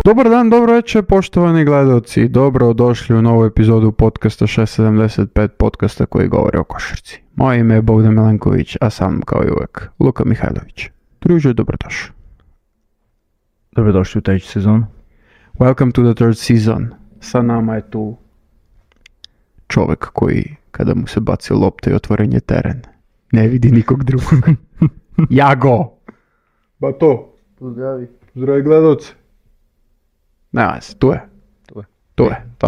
Dobar dan, dobro večer, poštovani gledalci. Dobro došli u novu epizodu podcasta 675, podcasta koji govori o košarci. Moje ime je Bogdan Milenković, a sam kao i uvek Luka Mihajlović. Druže, dobrodošli. Dobrodošli u treću sezonu. Welcome to the third season. Sa nama je tu čovjek koji, kada mu se baci lopta i otvoren je teren, ne vidi nikog drugog. Jago! Ba to. Pozdravi. Zdravi gledalci. Nema se, tu je.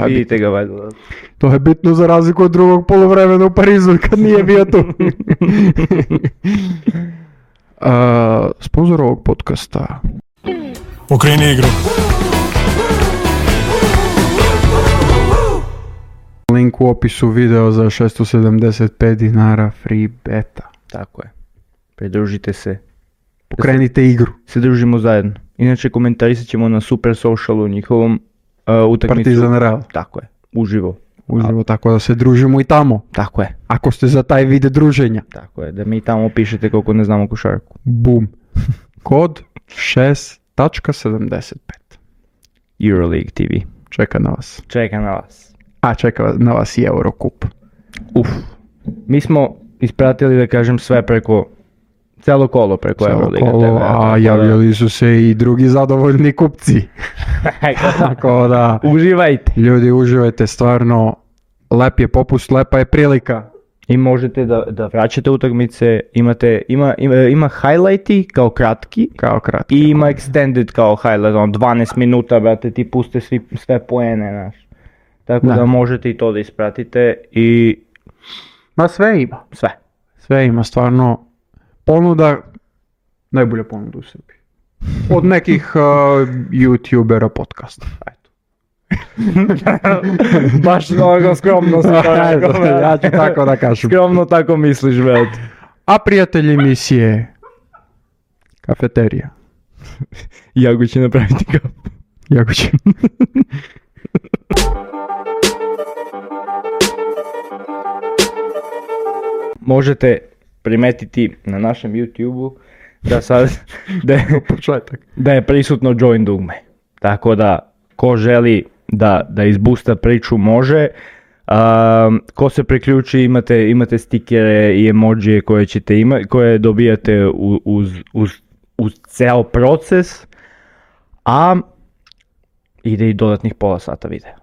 Vidite ga valjda. To je bitno za razliku od drugog poluvremena u Parizu kad nije bio tu. Sponzor ovog podcasta. Okreni igru. Link u opisu video za 675 dinara free beta. Tako je. Pridružite se. Pokrenite igru. Se družimo zajedno. Inače komentarisat ćemo na Super Socialu njihovom utakmicu. Partizan Real. Tako je. Uživo. Tako da se družimo i tamo. Tako je. Ako ste za taj vid druženja. Tako je. Da mi tamo pišete koliko ne znamo košarku. Bum. Kod 6.75. Euroleague TV. Čeka na vas. Čeka na vas. A čeka na vas i Eurocup. Mi smo ispratili, da kažem, sve preko celo kolo preko Euroliga TV. A javljali su se i drugi zadovoljni kupci. Tako da, uživajte. Ljudi, uživajte, stvarno, lep je popust, lepa je prilika. I možete da vraćate utakmice, ima highlighti kao kratki. I ima extended kao highlight, 12 minuta, brate, ti puste sve poene, znaš. Tako da možete i to da ispratite i... Ma sve ima. Sve ima, stvarno. Ponuda, najbolja ponuda u Srbiji. Od nekih youtubera podcasta. Baš mnogo skromno si to rekao. Ja ću tako da kažem. Skromno tako misliš, brate. A prijatelj emisije, kafeterija. Jago će napraviti kafu. Jago će. Možete primetiti na našem YouTube-u da sad da je prisutno join dugme. Tako da ko želi da izbusta priču može. Ko se priključi imate stikere i emojije koje dobijate uz ceo proces, a ide i dodatnih pola sata videa.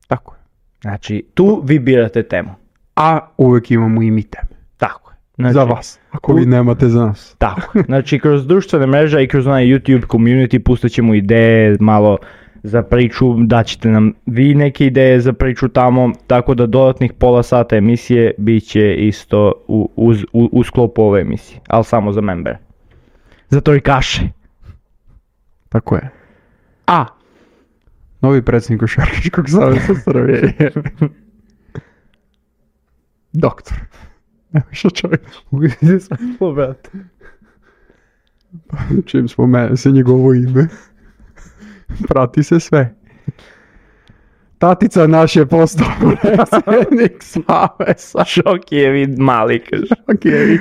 Tako je. Znači tu vi birate temu. A uvijek imamo i mi teme. Tako je. Znači, za vas, ako vi nemate za nas. Tako. Znači, kroz društvene mreže i kroz onaj YouTube community pustit ćemo ideje malo za priču, daćete nam vi neke ideje za priču tamo, tako da dodatnih pola sata emisije bit će isto u sklopu ove emisije, ali samo za membere. Za torikaše. Tako je. A, novi predsjednik Košarkaškog saveza Srbije je doktor. Evo što čovjek. Uvijek se brate. Čim spomene se njegovo ime, prati se sve. Tatica naš je postao predsjednik saveza. Šokijevi mali, kaže. Šokijevi.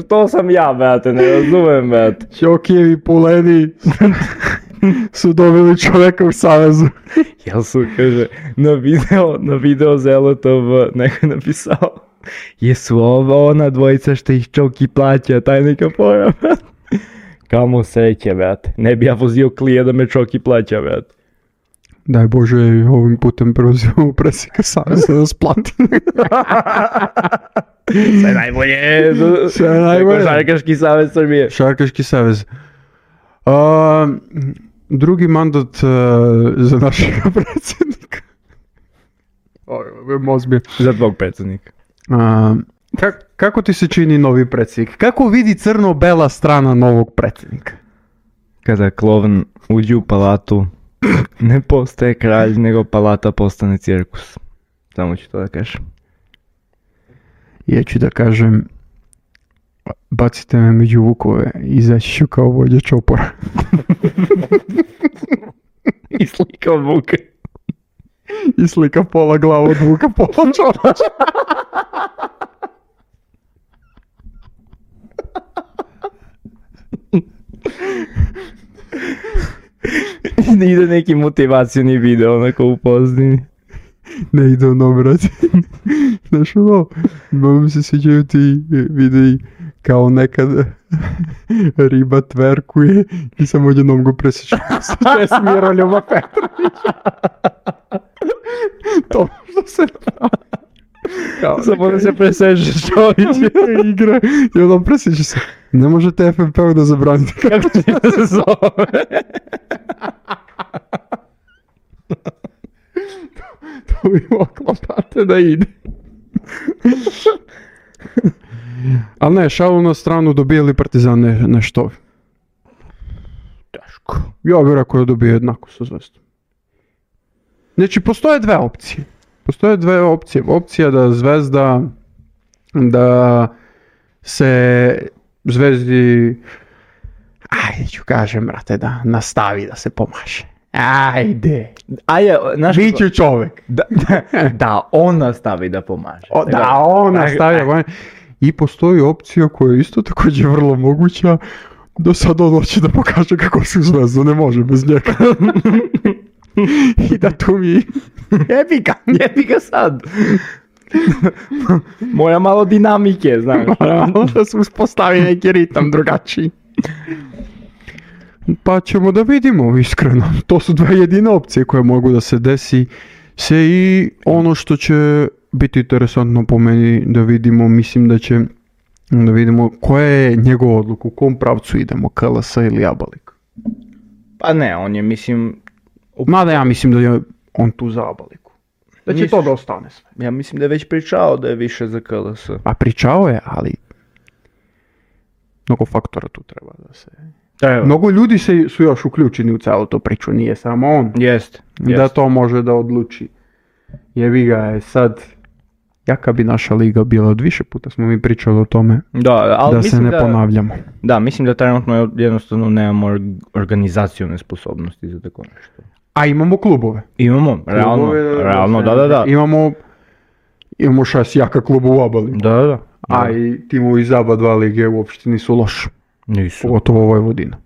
Što sam ja, brate, ne razumem, brate. Šokijevi puleni su dobili čovjeka u savezu. Jel su, kaže, na video za LTV neko je napisao. Jesu ovo ona dvojica što ih Čoki plaća, taj neka pojma, brate. Kamo sreće, brate. Ne bi ja vozio klije da me Čoki plaća, brate. Daj Bože, ovim putem prozivamo predsjednika saveza da splati. Sve najbolje. Košarkaški savez Srbije. Košarkaški savez. Drugi mandat za našeg predsjednika. Za tvog predsjednika. Kako ti se čini novi predsjednik? Kako vidi crno-bela strana novog predsjednika? Kada klovn uđe u palatu, ne postaje kralj, nego palata postane cirkus. Samo ću to da kažem. Ja ću da kažem, bacite me među vukove, izaći ću kao vođa čopora. I slika od vuke. I slika pola glava od vuka, pola čopora. ide neki motivacioni video onako u pozadini. Ne ide ono, brate. Znaš ono, mi se sviđaju ti videi kao nekad riba tverkuje i samo odjednom go presjeća. Sve s Miroljubom Petrovića. To što se pravi. Samo da se presežeš čovječe. Igra i onda presjeća se. Ne možete FNP-u da zabranite. Kako će da se zove? To bi moglo, brate, da ide. Ali ne, šalu na stranu, dobije li Partizan nešto? Teško. Ja bih rekao da dobije jednako sa Zvezdom. Znači, postoje dve opcije. Opcija da Zvezda, da se Zvezdi, ajde ću kažem, brate, da nastavi da se pomaže. Ajde. Biću čovjek. Da on nastavi da pomaže. Da on nastavi da pomaže. I postoji opcija koja je isto također vrlo moguća, da sad on hoće da pokaže kako se u Zvezdu ne može bez njega. I da tu mi jebi ga sad. Moja malo dinamike, znaš. Malo da se uspostavi neki ritam drugačiji. Pa ćemo da vidimo, iskreno. To su dve jedine opcije koje mogu da se desi. I ono što će biti interesantno po meni da vidimo, mislim da će da vidimo koja je njegova odluka, u kom pravcu idemo, KLS ili Abalik. Pa ne, on je, mislim... Mada ja mislim da je on tu za Abaliku. Da će to da ostane sve. Ja mislim da je već pričao da je više za KLS. A pričao je, ali mnogo faktora tu treba da se... Evo. Mnogo ljudi su još uključeni u celu to priču, nije samo on. Jest. Da to može da odluči. Jebi ga je sad, jaka bi naša liga bila, od više puta smo mi pričali o tome, da se ne ponavljamo. Da, mislim da trenutno jednostavno nemamo organizacione sposobnosti za tako nešto. A imamo klubove. Imamo, realno, da. Imamo 6 jaka kluba u obali. Da. A i timovi iz ABA 2 lige uopšte nisu loši. Nisu. Pogotovo Vojvodina.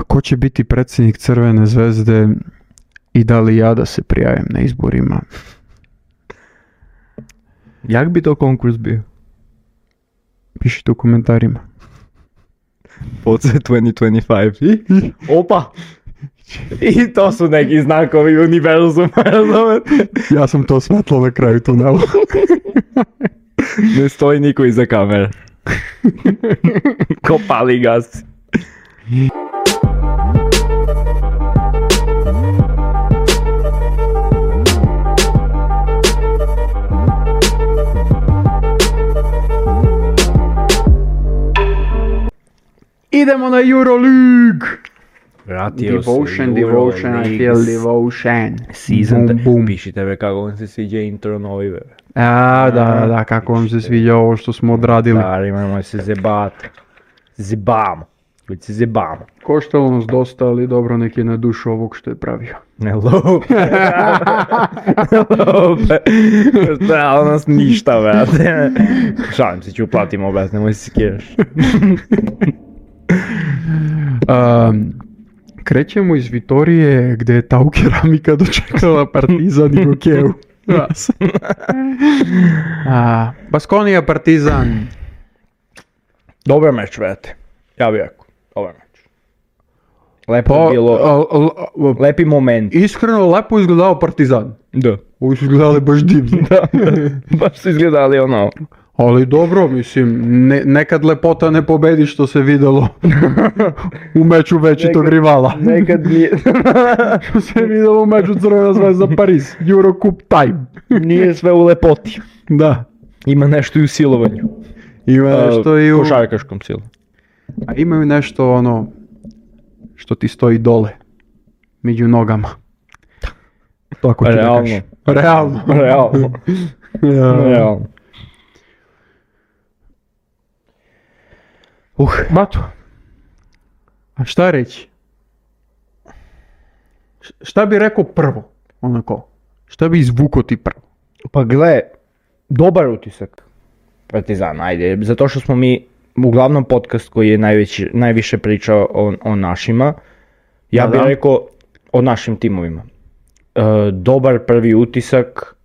Ko će biti predsjednik Crvene Zvezde i da li ja da se prijavim na izborima? Jak bi to konkurs bio? Pišite u komentarima. Poce 2025. Opa! I to su neki znakovi univerzuma, razumete? Ja sam to svetlo na kraju tunela. Ne stoji niko iza kamere. Ko pali gas. Idemo na Euroleague! Vratio Devotion, I feel devotion. Season, boom. Pišite me kako vam se sviđa intro novi, bebe. Da, kako vam se sviđa ovo što smo odradili. Da, imamo se zebati. Zebamo. Već se zebamo. Koštalo nas dosta, ali dobro, nek je na dušu ovog što je pravio. Ne lupe. Stalo nas ništa, brate. Šalim se, ću uplatimo, brate, nemoj se skiraš. Krećemo iz Vitorije gdje je Tau Keramika dočekala Partizan i Gokeju. Baskonija Partizan. Dobar meč, brate. Ja bih rekao, dobar meč. Lepo je bilo, lepi moment. Iskreno, lepo izgledao Partizan. Da. Ovi su izgledali baš divno. Da, baš su izgledali ono. Ali dobro, mislim, nekad lepota ne pobedi što se videlo u meču večitog rivala. Nekad nije. Što se videlo u meču Crvena Zvezda Pariz, Eurocup time. Nije sve u lepoti. Da. Ima nešto i u silovanju. Ima nešto i u... košarkaškom silu. A imaju nešto ono što ti stoji dole, među nogama. Tako ću da kažem. Realno. Bato, a šta reći? Šta bi rekao prvo, onako? Šta bi izvukao ti prvo? Pa gle, dobar utisak Partizana, ajde, zato što smo mi uglavnom podcast koji je najviše pričao o našima. Ja bih rekao o našim timovima. Dobar prvi utisak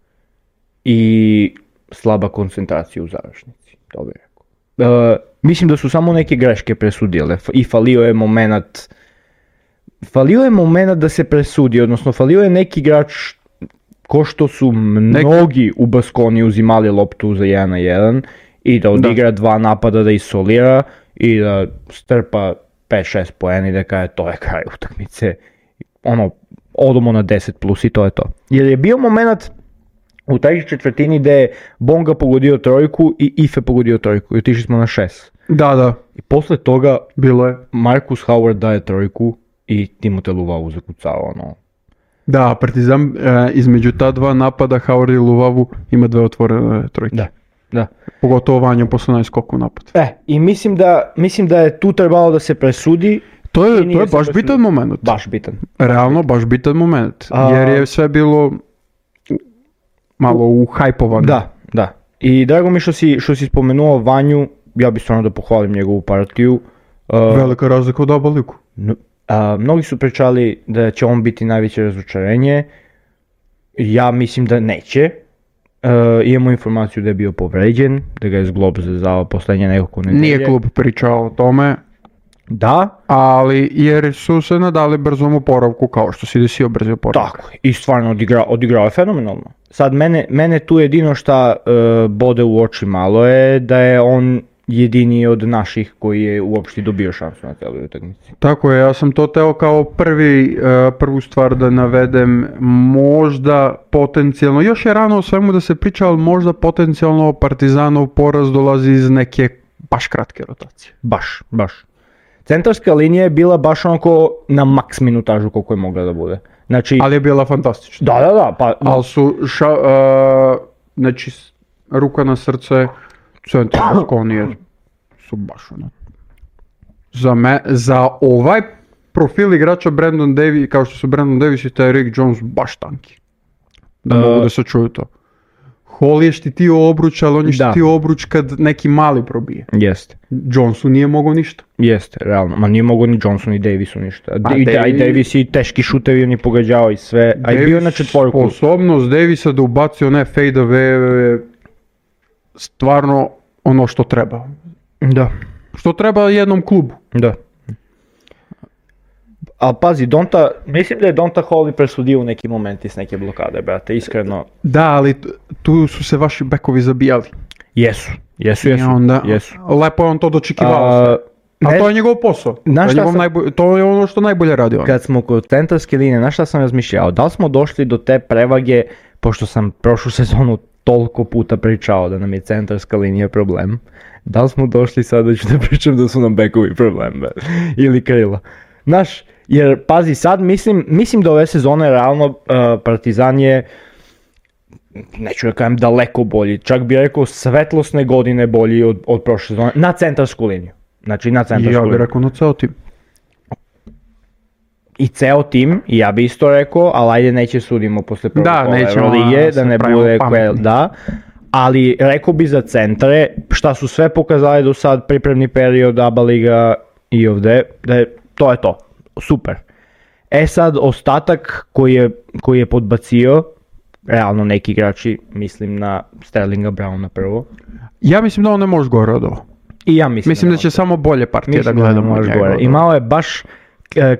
i slaba koncentracija u završnici. To bih rekao. Mislim da su samo neke greške presudile i falio je moment da se presudi, odnosno falio je neki igrač ko što su mnogi u Baskoni uzimali loptu za 1-1 i da odigra 2 napada da isolira i da strpa 5-6 poena i da kaže to je kraj utakmice. Odemo na 10 plus i to je to. Jer je bio moment u trećoj četvrtini gdje je Bonga pogodio trojku i Ife pogodio trojku i otišli smo na 6. Da. I posle toga bilo je. Marcus Howard daje trojku i Timote Luvavu zakucao Da, Partizan između ta 2 napada Howard i Luvavu ima 2 otvorene trojke. Da. Pogotovo Vanja posle najskoku napad. I mislim da je tu trebalo da se presudi. To je baš bitan moment. Baš bitan. Realno baš bitan moment. Jer je sve bilo malo uhajpovano. Da. I drago mi što si spomenuo Vanju, ja bih stvarno da pohvalim njegovu partiju. Velika razlika od oba liku. Mnogi su pričali da će on biti najveće razočarenje. Ja mislim da neće. Imamo informaciju da je bio povređen, da ga je zglob zezao poslednje nekoliko nedelje. Nije klub pričao o tome. Da. Ali jer su se nadali brzom oporavku kao što si desio brzi oporavak. Tako, i stvarno odigrao je fenomenalno. Sad mene tu jedino šta bode u oči malo je da je on jedini od naših koji je uopšte dobio šansu na celoj utakmici. Tako je, ja sam to teo kao prvu stvar da navedem, možda potencijalno, još je rano o svemu da se priča, ali možda potencijalno Partizanov poraz dolazi iz neke baš kratke rotacije. Baš. Centarska linija je bila baš onako na maks minutažu koliko je mogla da bude. Znači, ali je bila fantastična. Da. Ali su, znači, ruka na srce, centar Baskonije su baš za ovaj profil igrača Brandon Davis, kao što su Brandon Davis i taj Rick Jones, baš tanki. Da mogu da se čuju to. Hall je štitio obruč, ali on je štitio obruč kad neki mali probije. Jeste. Jonesu nije mogao ništa. Jeste, realno. Ma nije mogao ni Jonesu ni Davisu ništa. I Davis i teški šutevi on je pogađao i sve. A je bio na četvorku. Sposobnost Davisa da ubaci one fade away stvarno ono što treba. Da. Što treba jednom klubu. Da. Ali pazi, mislim da je Donta Hall i presudio u neki momenti s neke blokade, brate, iskreno. Da, ali tu su se vaši bekovi zabijali. Jesu. Lepo je on to dočekivao. A to je njegov posao. To je ono što najbolje radi on. Kad smo kod centarske linije, na šta sam razmišljao? Da li smo došli do te prevage, pošto sam prošlu sezonu toliko puta pričao da nam je centarska linija problem, da li smo došli sada ću da pričam da su nam bekovi problem, ili krila. Znaš, jer pazi sad, mislim da ove sezone realno Partizan je, neću da kažem daleko bolji, čak bih rekao svetlosne godine bolji od prošle sezone, na centarsku liniju. Znači na centarsku liniju. Ja bih rekao na ceo tim. I ceo tim, i ja bih isto rekao, ali ajde neće sudimo posle Lige, da ne bude ali rekao bi za centre, šta su sve pokazali do sad, pripremni period, ABA Liga i ovde, to je to, super. Sad ostatak koji je podbacio, realno neki igrači, mislim na Sterlinga Browna prvo. Ja mislim da on ne može gore od ovo. I ja mislim da će samo bolje partije da gledamo od njega. Imao je baš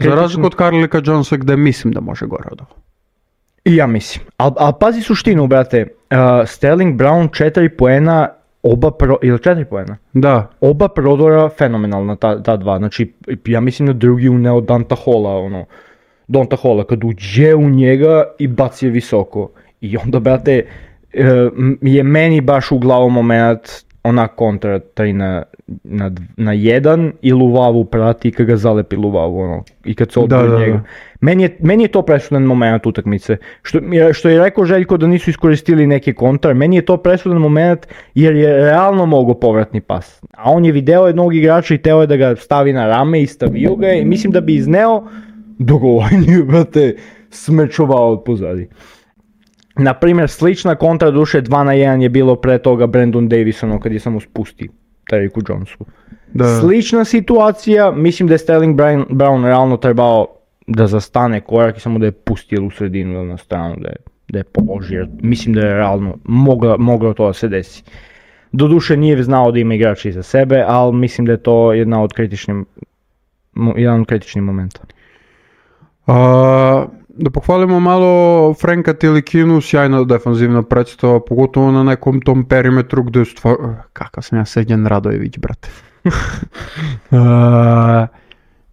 za razliku od Carlika Jonesa gde mislim da može gore od ovo. I ja mislim. Ali pazi suštinu, brate. Sterling Brown 4 poena, ili 4 poena? Da. Oba prodora fenomenalna ta dva. Znači, ja mislim da drugi uneo Donta Halla, kad uđe u njega i baci je visoko. I onda, brate, je meni baš u glavu moment ona kontra 3 na 1 i Luvavu prati i kad ga zalepi Luvavu, i kad se odbori njega. Meni je to presudan moment utakmice. Što je rekao Željko da nisu iskoristili neke kontra, meni je to presudan moment jer je realno mogao povratni pas. A on je video jednog igrača i teo je da ga stavi na rame i stavio ga i mislim da bi izneo dogovorenje, brate, smečovao od pozadi. Naprimjer, slična kontra duše 2 na 1 je bilo pre toga Brandon Davisonom kad je samo spustio. Teriku Jonesu. Da. Slična situacija, mislim da je Sterling Brown realno trebao da zastane korak i samo da je pustio u sredinu ili na stranu, da je položio. Mislim da je realno moglo to da se desi. Doduše nije znao da ima igrači iza sebe, ali mislim da je to jedan od kritičnih momenta. Da pohvalimo malo Franka Tilikinu, sjajna defanzivna predstava, pogotovo na nekom tom perimetru gdje je kakav sam ja Srđan Radojević, brate.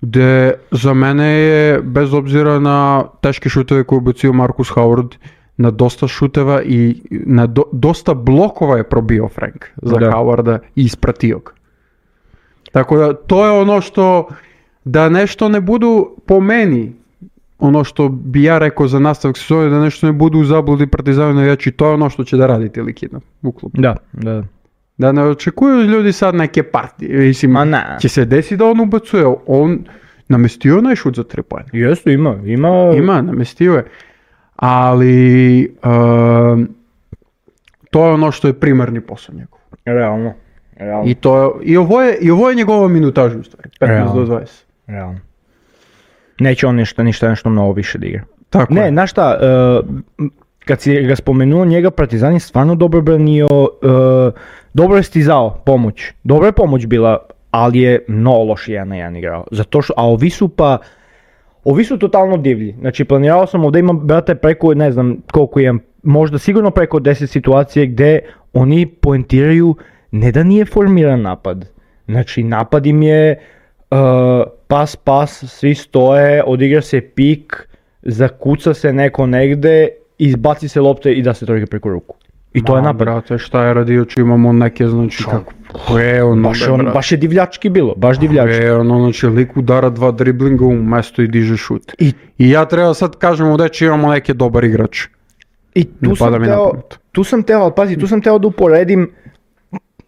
Gde za mene je, bez obzira na teške šuteve koje je ubacio Marcus Howard, na dosta šuteva i na dosta blokova je probio Frank za Howarda i ispratio ga. Tako da to je ono što, da nešto ne budu po meni, ono što bi ja rekao za nastavak sezone, da nešto ne budu u zabludi Partizanu navijači, to je ono što će da radi Tilikina u klubu. Da. Da ne očekuju ljudi sad neke partije, mislim, će se desiti da on ubacuje, on namestio onaj šut za 3 poena. Jeste, ima, namestio je, ali to je ono što je primarni posao njegov. Realno. I ovo je njegova minutaža u stvari, 15 do 20. Realno. Neće on nešto mnogo više da igra. Tako ne, znaš šta, kad si ga spomenuo, njega Partizan je stvarno dobro branio, dobro je stizao pomoć. Dobra je pomoć bila, ali je mnogo loši 1-1 igrao. Zato što, a ovi su totalno divlji. Znači, planirao sam ovdje imam, brate, preko, ne znam koliko imam, možda sigurno preko 10 situacije gdje oni poentiraju ne da nije formiran napad. Znači, napad im je pas, svi stoje, odigra se pik, zakuca se neko negde, izbaci se lopte i da se trojka preko ruku. I to je napad. Brate, šta je radio, či imamo neke, znači kako... Baš je divljački bilo, baš divljački. Znači lik udara 2 driblinga u mesto i diže šut. I ja treba sad kažemo da imamo neke dobar igrač. I tu sam teo da uporedim,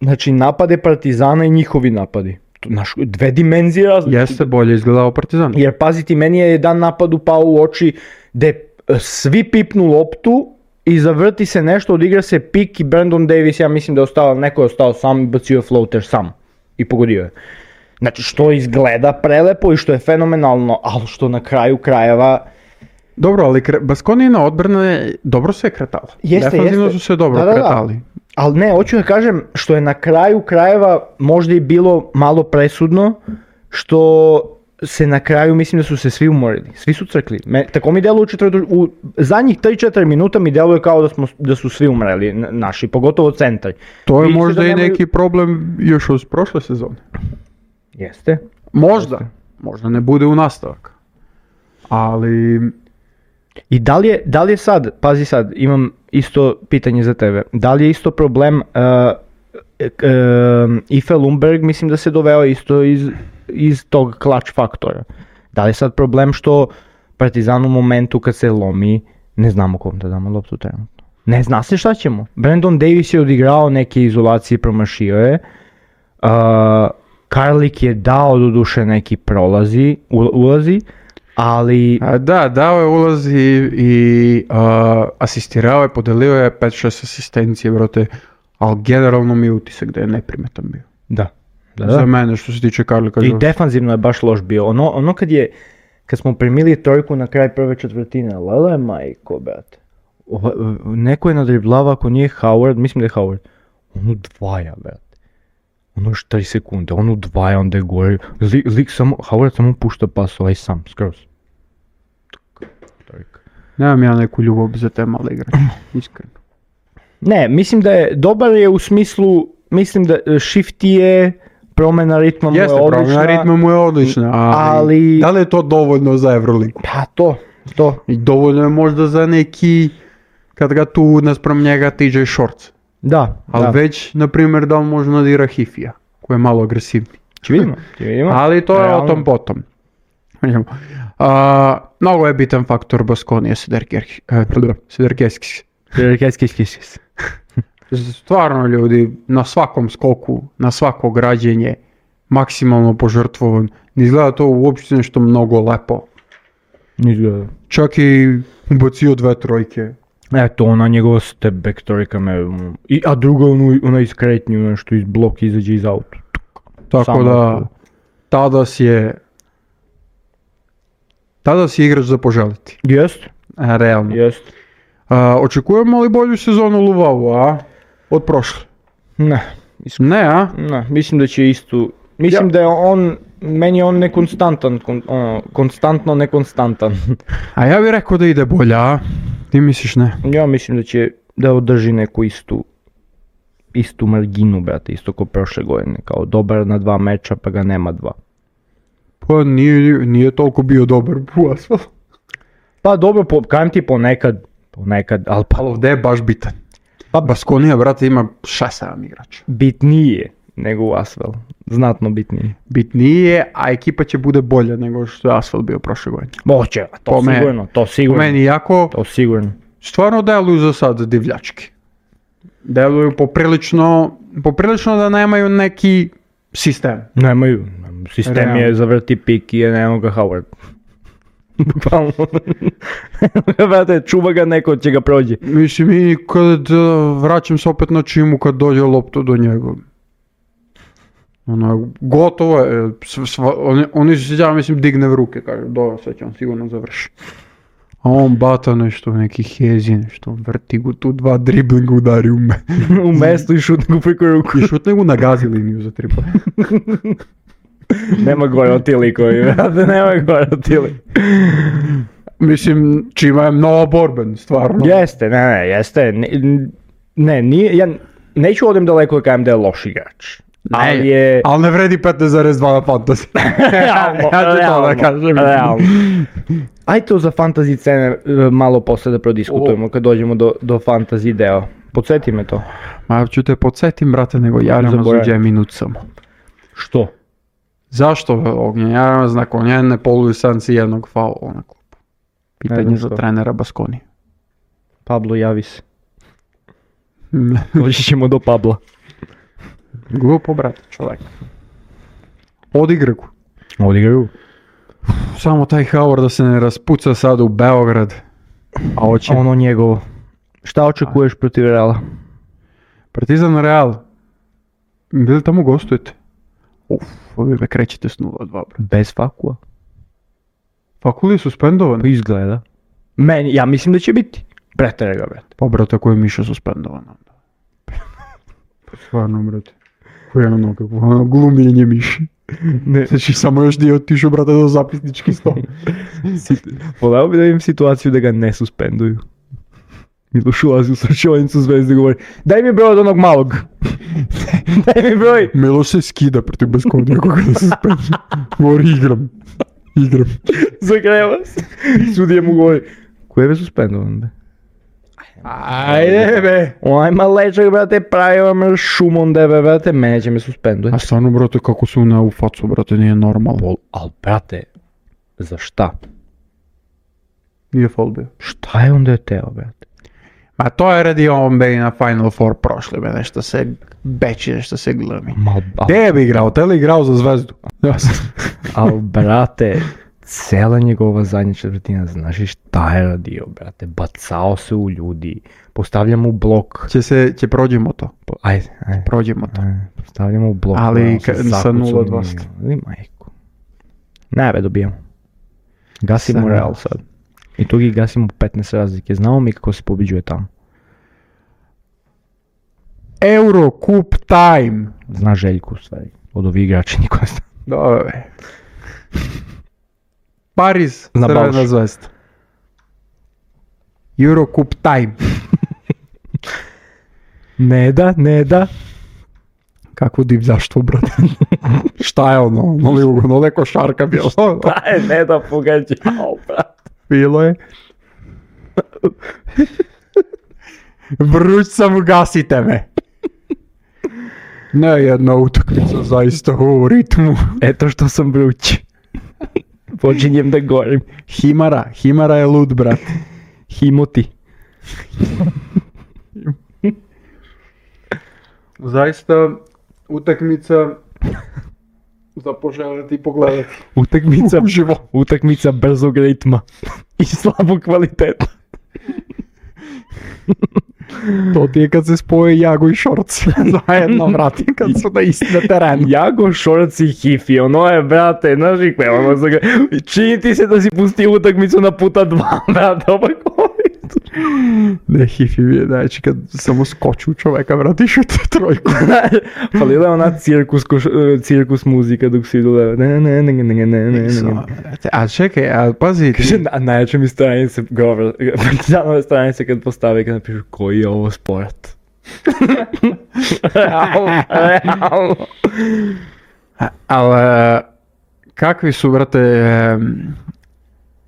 znači napade Partizana i njihovi napadi. Naš, 2 dimenzije različite. Jeste bolje izgledao Partizan. Jer paziti, meni je jedan napad upao u oči gde svi pipnu loptu i zavrti se nešto, odigra se pik i Brandon Davis, ja mislim da je neko je ostao sam i bacio floater sam i pogodio je. Znači što izgleda prelepo i što je fenomenalno, ali što na kraju krajeva... Dobro, ali Baskonijina odbrana dobro se je kretala. Defenzivno su se dobro kretali. Ali ne, hoću da kažem što je na kraju krajeva možda i bilo malo presudno, što se na kraju mislim da su se svi umorili, svi su crkli. Tako mi deluje u zadnjih 3-4 minuta mi deluje kao da su svi umreli naši, pogotovo centri. To je možda i neki problem još od prošle sezone. Jeste. Možda ne bude u nastavak. Ali... I da li je sad, pazi sad, imam isto pitanje za tebe, da li je isto problem Ife Lundberg, mislim da se doveo isto iz tog clutch faktora. Da li je sad problem što Partizan u momentu kad se lomi, ne znamo kom da damo loptu trenutno. Ne zna se šta ćemo. Brandon Davis je odigrao neke izolacije, promašio je. Karlik je dao doduše neki ulazi, ali... dao je ulazi i asistirao je, podelio je 5-6 asistencije, brate, ali generalno mi je utisak da je neprimetan bio. Da. Za mene što se tiče Karlika. I defanzivno je baš loš bio. Ono kad smo primili trojku na kraj prve četvrtine, lele majko, brate. Neko je nadriblava, ako nije Howard, mislim da je Howard. On udvaja, brate. Ono još 3 sekunde, on udvaja, onda je gore. Howard samo pušta pas ovaj sam, skroz. Nemam ja neku ljubav za te male igrače, iskreno. Ne, mislim da je, dobar je u smislu, mislim da shift je, promjena ritma mu je odlična. Jeste, promjena ritma mu je odlična, ali da li je to dovoljno za Euroligu? Pa to. I dovoljno je možda za neki, kad ga tu naspram njega TJ Shorts. Da. Ali već, na primjer, da li može nadira Hifija, koji je malo agresivni. Će vidimo. Ali to je o tom potom. Mnogo je bitan faktor Baskonija Siderkeskis. Stvarno ljudi, na svakom skoku, na svako građenje, maksimalno požrtvovan. Ne izgleda to uopšte nešto mnogo lepo. Izgleda. Čak i ubacio 2 trojke. Eto, ona njegova step back trojka me... A druga ona iz kretnje, nešto iz bloka izađe iz auta. Tako Samo da, tu. tada si igrač za poželiti. Jest, Realno. jest. Očekujemo li bolju sezonu Luvavu, a? Od prošle? Ne, Ne, a? ne, mislim da će istu... Mislim da je on, meni je on nekonstantan, konstantno nekonstantan. A ja bih rekao da ide bolja, a? Ti misliš ne? Ja mislim da će da održi neku istu marginu, brate, isto kao prošle godine, kao dobar na 2 meča pa ga nema 2. Pa nije toliko bio dobar u Asfalt. Pa dobro, kajem ti ponekad, ali pa Ali ovdje je baš bitan. Pa Baskonija, brate, ima 6-7 igrača. bitnije nego u Asvel, znatno bitnije. Bitnije, a ekipa će bude bolja nego što je Asfalt bio prošle godine. Moće, to sigurno. Po meni jako, To sigurno. stvarno deluju za sad divljački. Deluju poprilično da nemaju neki sistem. Nemaju, sistem Realno. je zavrti pik i je nema ga Howard. Bukvalno. Brate, čuva ga neko, će ga prođe. Mislim, i kad vraćam se opet na Čimu, kad dođe lopta do njega. Gotovo je. Oni se ja mislim digne v ruke, kaže, dobro, sad će on sigurno završi. A on bata nešto, neki hezi, nešto, vrti go tu 2 driblinga udari u me. U mestu i šutne ga preko ruku. I šutne go na gazi liniju za 3 poena. Nema gore od ti likovi, brate, nema gore od ti likovi. Mislim, Čima je mnogo borben, stvarno. Jeste, jeste. Ne, nije, ja neću odem daleko da kažem da je loš igrač. Ali je... Ali ne vredi 15,2 na fantasy. Ja ću to da kažem. Realno. Ajde to za fantasy cene malo posle da prodiskutujemo kad dođemo do fantasy deo. Podsjeti me to. Ma ću te podsjetim, brate, nego Jarama zuđe minut samo. Što? Zašto Ognjen Jarama nakon jedne polulisanci jednog faula na klubu? Pitanje za trenera Baskoni. Pablo, javi se. Doći ćemo do Pabla. Glupo, brate, čovjek. Odigraju. Samo taj Howard da se ne raspuca sad u Beograd. A hoće. Ono njegovo. Šta očekuješ protiv Reala? Partizan Real. Bili tamo gostujete? Vi me krećete s 0-2, brate. Bez Fakua. Fakul je suspendovan? Pa izgleda. Ja mislim da će biti. Pretere ga, brate. Pa, brate, ako je Miša suspendovan onda. Pa stvarno, brate. Koje je ono kako glumljenje Miši. Ne. Znači, samo još nije otišao, brate, do zapisnički stol. Voleo bi da imam situaciju da ga ne suspenduju. Miloš ulazi u srčevanicu Zvezde i govori: daj mi broj od onog malog. Daj mi broj. Miloš se skida protiv Baskonija koga da suspenduje. Govori, igram. Zagreva se. Sudija mu govori: ko je be suspendovan, be? Ajde, be. Ajma lečak, brate, pravi vam šumom debe, brate, mene će me suspenduje. A stvarno, brate, kako su ne u facu, brate, nije normalno. Al, brate, za šta? Nije faul bio. Šta je onda je teo, brate? Ma to je radi on be na Final Four prošle, be, nešto se beči, nešto se glumi. Gdje bi igrao? Te li igrao za Zvezdu? Al, brate, cela njegova zadnja četvrtina, znaš i šta je radio, brate? Bacao se u ljudi, postavljamo u blok. Će prođemo to. Ajde. Prođemo to. Postavljamo u blok. Ali sa 0-2. Ali majku. Najve dobijamo. Gasimo Real sad. I tu gi gasimo 15 razlike. Znamo mi kako se pobiđuje tamo. Euro Cup time. Zna Željku u stvari. Od ovih igrača niko ne zna. Dobre. Paris, Crvena Zvezda. Euro Cup time. Ne da. Kakvo divljaštvo, brate. Šta je ono? Ono je košarka bilo. Šta je ne da pogađao, brate? Bilo je. Vruć sam, ugasite me. Ne, jedna utakmica zaista u ritmu. Eto što sam vruć. Počinjem da gorim. Himara je lud, brate. Himoti. Zaista utakmica za poželjeti i pogledati. Utakmica brzog ritma i slabog kvaliteta. To ti je kad se spoje Jago i Šorc zajedno, brate, kad su na terenu. Jago, Šorc i Hifi, ono je, brate, znaš i koje, ono za ga, čini ti se da si pustio utakmicu na puta 2, brate, opak Ne, Hifi je, znači, kad samo skoču čoveka, brate, i šute trojku. Falila je ona cirkus muzika dok si idole, ne. A čekaj, a pazi ti. Kaže, najjače mi stranice, partizanove stranice kad postave, kad napišu koji je ovo sport. Realno. Ali, kakvi su, brate,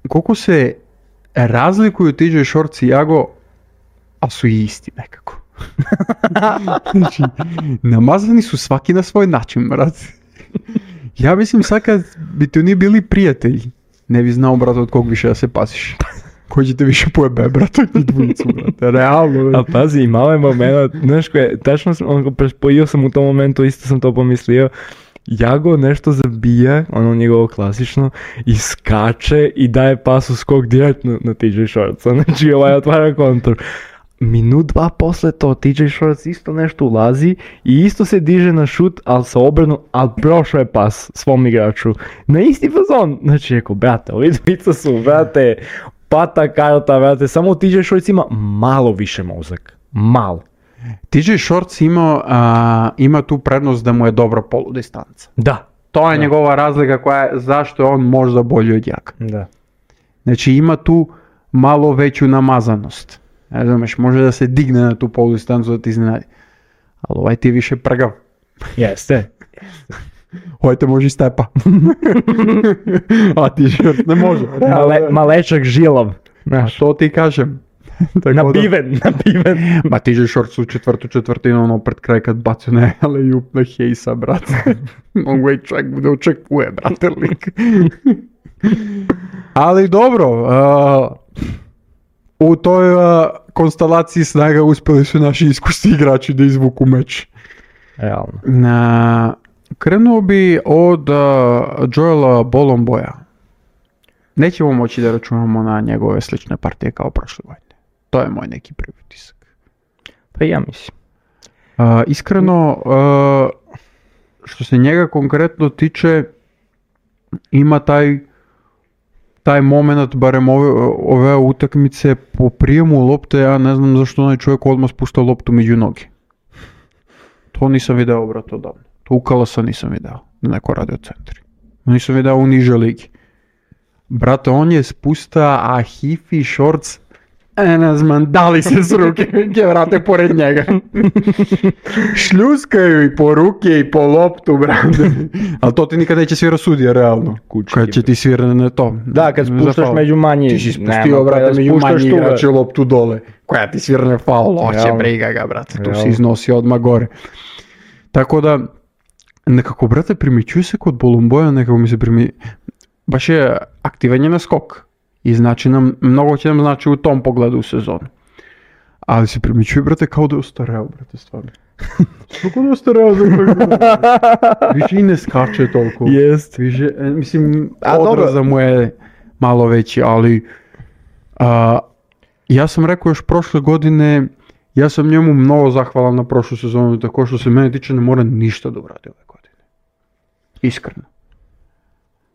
koliko se razlikuju TJ Shorts i Jago, a su i isti nekako. Znači, namazani su svaki na svoj način, brate. Ja mislim sad kad bi ti oni bili prijatelji, ne bi znao, brate, od kog više da se paziš. Koji će te više pojebe, brate, od njih dvojicu, brate, realno. A pazi, imao je moment, znaš koje, tačno prespojio sam u tom momentu, isto sam to pomislio, Jago nešto zabija, ono njegovo klasično, i skače i daje pas u skok direktno na TJ Shortsa, znači ovaj otvara kontru. Minut, dva posle to TJ Shorts isto nešto ulazi i isto se diže na šut, ali se obrnu, ali prošao je pas svom igraču. Na isti fazon, znači rekao, brate, ovi dvica su, brate, pata karta, brate, samo TJ Shorts ima malo više mozak, malo. TJ Shorts ima tu prednost da mu je dobra poludistanca. Da. To je njegova razlika koja je zašto je on možda bolji od Jaka. Da. Znači ima tu malo veću namazanost. Ne znaš, može da se digne na tu poludistancu da ti iznenadi. Ali ovaj ti je više prgav. Jeste. Ovaj te može i stepa. A TJ Shorts ne može. Malečak žilav. Znaš, to ti kažem. Nabiven. Ma TJ Shorts u četvrtinu, ono pred kraj kad bacio na alley-oop na Hayesa, brate. On ga i čak bude očekuje, brate, lik. Ali dobro, u toj konstelaciji snaga uspjeli su naši iskusni igrači da izvuku meč. Realno. Krenuo bi od Joela Bolomboja. Nećemo moći da računamo na njegove slične partije kao prošle godine. To je moj neki prvi utisak. Pa ja mislim. Iskreno, što se njega konkretno tiče, ima taj moment, barem ove utakmice, po prijemu lopte, ja ne znam zašto onaj čovjek odmah spušta loptu među noge. To nisam video, brate, odavno. To u Kalasa nisam video, na neko radio centri. Nisam video u niže ligi. Brate, on je spusta, a Hifi Shorts, ne znam, dali se s ruke, vrate pored njega. Šljuskaju i po ruke i po loptu, brate. Ali to ti nikad neće svira sudija, realno. Kad će ti svira na to. Da, kad spuštaš među manji. Ti si spustio, brate, među manji igrače loptu dole. Koja ti svirne faul, oće briga ga, brate. Tu si iznosio odmah gore. Tako da, nekako, brate, primjećuje se kod Bolomboja, nekako mi se baš je aktivan je na skok. I znači mnogo će nam znači u tom pogledu u sezonu. Ali se primjećuje, brate, kao da je ostareo, brate, stvarno. Kako da je ostareo za koji više i ne skače toliko. Jest. Više, mislim, odraza mu je malo veći, ali ja sam rekao još prošle godine, ja sam njemu mnogo zahvalan na prošlu sezonu, tako što se mene tiče ne mora ništa da uradi ove godine. Iskreno.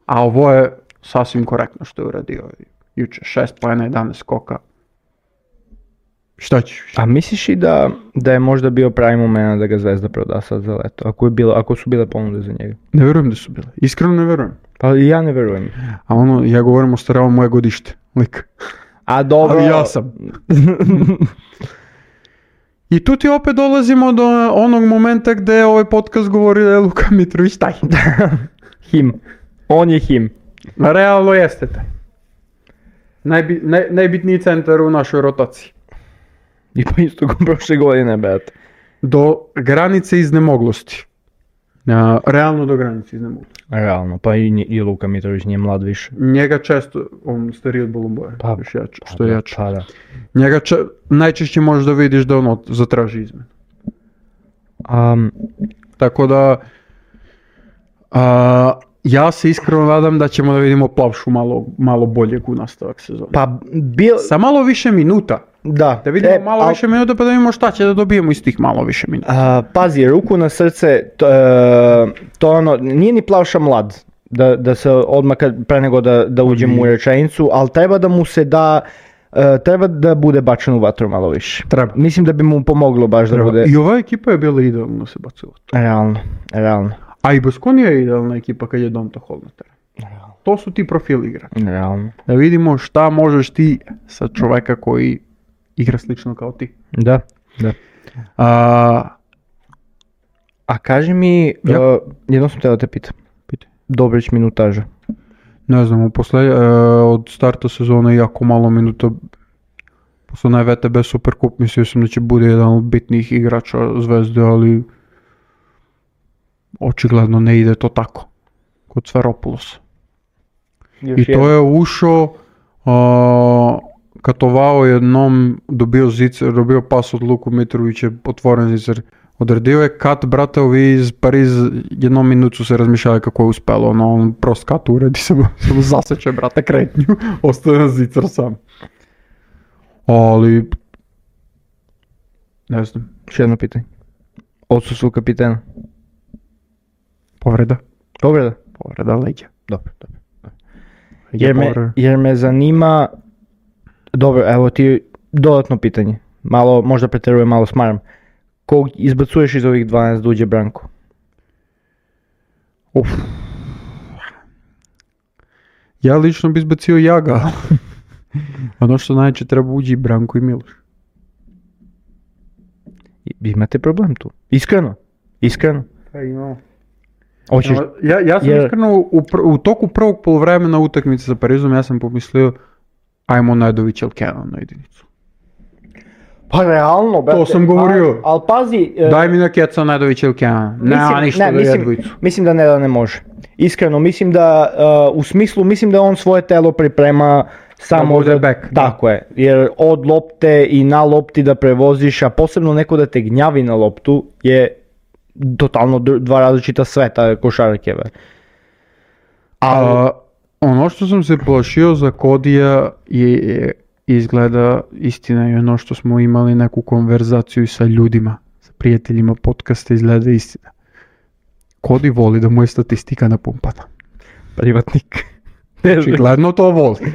A ovo je sasvim korektno što je uradio juče. 6 poena, 11 skoka. Šta ćeš? A misliš i da je možda bio pravi moment da ga Zvezda proda sad za leto? Ako su bile ponude za njega? Ne verujem da su bile. Iskreno ne verujem. Pa i ja ne verujem. A ono, ja govorim o staravom moje godište. Lik. A dobro. Ali ja sam. I tu ti opet dolazimo do onog momenta gde je ovaj podcast govori da je Luka Mitrović taj. Him. On je him. Realno jeste taj. Najbitniji centar u našoj rotaciji. I pa isto kao prošle godine, brate. Do granice iznemoglosti. Realno do granice iznemoglosti. Realno, pa i Luka Mitrović nije mlad više. Njega često, on stariji od Bolomboja, što je jače. Pa da. Njega najčešće možeš da vidiš da ono zatraži izmenu. Tako da, Ja se iskreno nadam da ćemo da vidimo Plavšu malo boljeg u nastavak sezona. Pa sa malo više minuta. Da. Da vidimo malo više minuta pa da vidimo šta će da dobijemo iz tih malo više minuta. Pazi, ruku na srce, to ono, nije ni Plavša mlad, da se odmah pre nego da uđemo u rečenicu, ali treba da mu se da, treba da bude bačen u vatru malo više. Treba. Mislim da bi mu pomoglo baš da bude... I ova ekipa je bila idealno se bacila. Realno. A i Baskonija je idealna ekipa kad je Donta Hall na terenu. To su ti profili igrača. Realno. Da vidimo šta možeš ti sa čoveka koji igra slično kao ti. Da. A kaži mi, jedno sam te da te pitam. Dobrić minutaža. Ne znam, od starta sezone jako malo minuta. Posle onaj VTB Superkup mislio sam da će bude jedan od bitnijih igrača Zvezde, ali očigledno ne ide to tako kod Sferopoulosa. I to je ušao, katovao jednom, dobio pas od Luku Mitrovića, otvoren zicer. Odredio je kat, brate, ovi iz Pariz jednom minutu se razmišljali kako je uspelo, on prost kat uredi, samo zaseče, brate, kretnju, ostaje na zicer sam. Ali, ne znam. Još jedno pitanje. Odsustvo kapitena. Povreda leđa. Dobro. Jer me zanima, dobro, evo ti dodatno pitanje, malo, možda preterujem, malo smaram. Kog izbacuješ iz ovih 12 da uđe Branko? Ja lično bi izbacio Jaga. Ono što najče treba uđi Branko i Miloš. Imate problem tu? Iskreno? Pa imamo. Ja sam iskreno u toku prvog poluvremena utakmice sa Parizom ja sam pomislio ajmo Nedović ili Kenan na jedinicu. Pa realno, brate. To sam govorio. Ali pazi... Daj mi na Keca Nedović ili Kenan. Nema ništa da je dvojicu. Mislim da ne može. Iskreno, mislim da mislim da on svoje telo priprema samo da back. Tako je, jer od lopte i na lopti da prevoziš, a posebno neko da te gnjavi na loptu je totalno dva različita sveta košarke. Ono što sam se plašio za Kodija je izgleda istina i ono što smo imali neku konverzaciju sa ljudima, sa prijateljima podcasta, izgleda istina. Kodi voli da mu je statistika napumpana. Privatnik. Očigledno to voli.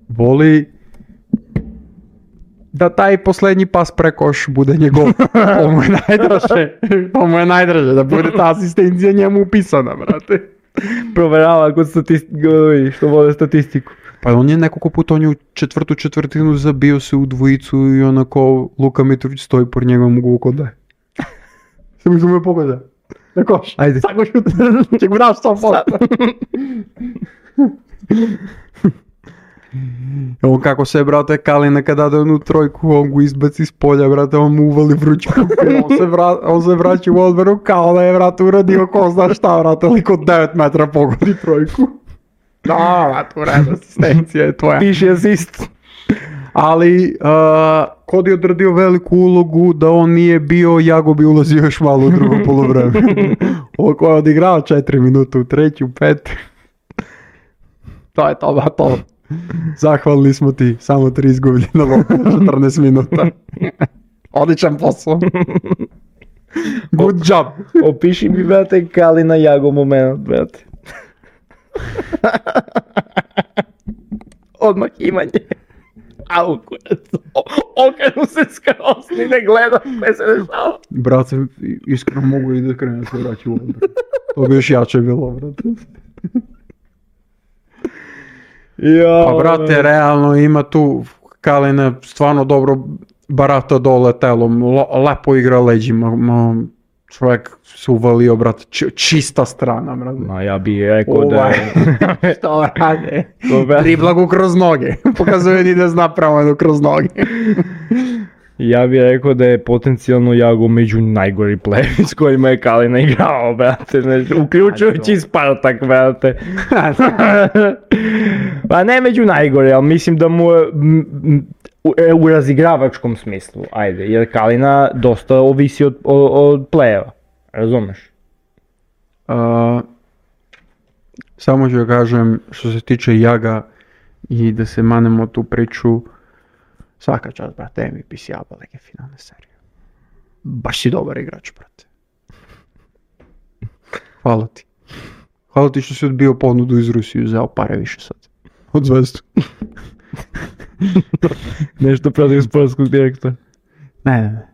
Voli da taj posljednji pas prekoš bude njegov. To mu je najdraže, da bude ta asistencija njemu upisana, brate. Proverava kod što vole statistiku. Pa on je nekoliko puta, on je u četvrtinu zabio se u dvojicu i onako Luka Mitrović stoji por njegovom mogu kod daje. Samo što me pogleda. Na koš. Ajde. Tako šut. Ček mu daš 100%. On kako se, brate, Kalina kada da onu trojku, on go izbaci s polja, brate, on mu uvali vruć kupir, on se vraća u odbranu kao da je, brate, uradio ko zna šta, brate, ali kod 9 metra pogodi trojku. Da, brate, ured, asistencija je tvoja. Piši asist. Ali, Kod je odradio veliku ulogu da on nije bio, Jago bi ulazio još malo u drugo polovreme. Ovo koja je odigrao 4 minuta u treću, 5. To je to. Zahvalni smo ti, samo 3 izgubljena lopta, 14 minuta. Odličan posao. Good job. Opiši mi, brate, Kalina Jago moment, brate. Odmah imanje. Au, kurac. Okrenu se skroz, ni ne gleda, ne se dešava. Brate, iskreno mogu i da krenu se vraći u odbor. To bi još jače bilo, brate. Pa brate, realno ima tu Kalina stvarno dobro barata dole telom, lepo igra leđima, čovjek se uvalio, brate, čista strana, brate. Ma ja bih rekao da je... Što rade? Dribla go kroz noge, pokazuje ni da zna pravo kroz noge. Ja bih rekao da je potencijalno Jago među najgori playeri s kojima je Kalina igrao, brate, uključujući Spartak, brate. Pa ne među najgori, ali mislim da mu u razigravačkom smislu, ajde, jer Kalina dosta ovisi od playera, razumeš? Samo ću kažem, što se tiče Jaga i da se manemo tu priču, svaka čast, brate, MVP si jaba neke finalne serije. Baš si dobar igrač, brate. Hvala ti. Hvala ti što si odbio ponudu iz Rusije, uzeo pare više sad. Od Zvezdu. Nešto protiv sportskog direktora. Ne.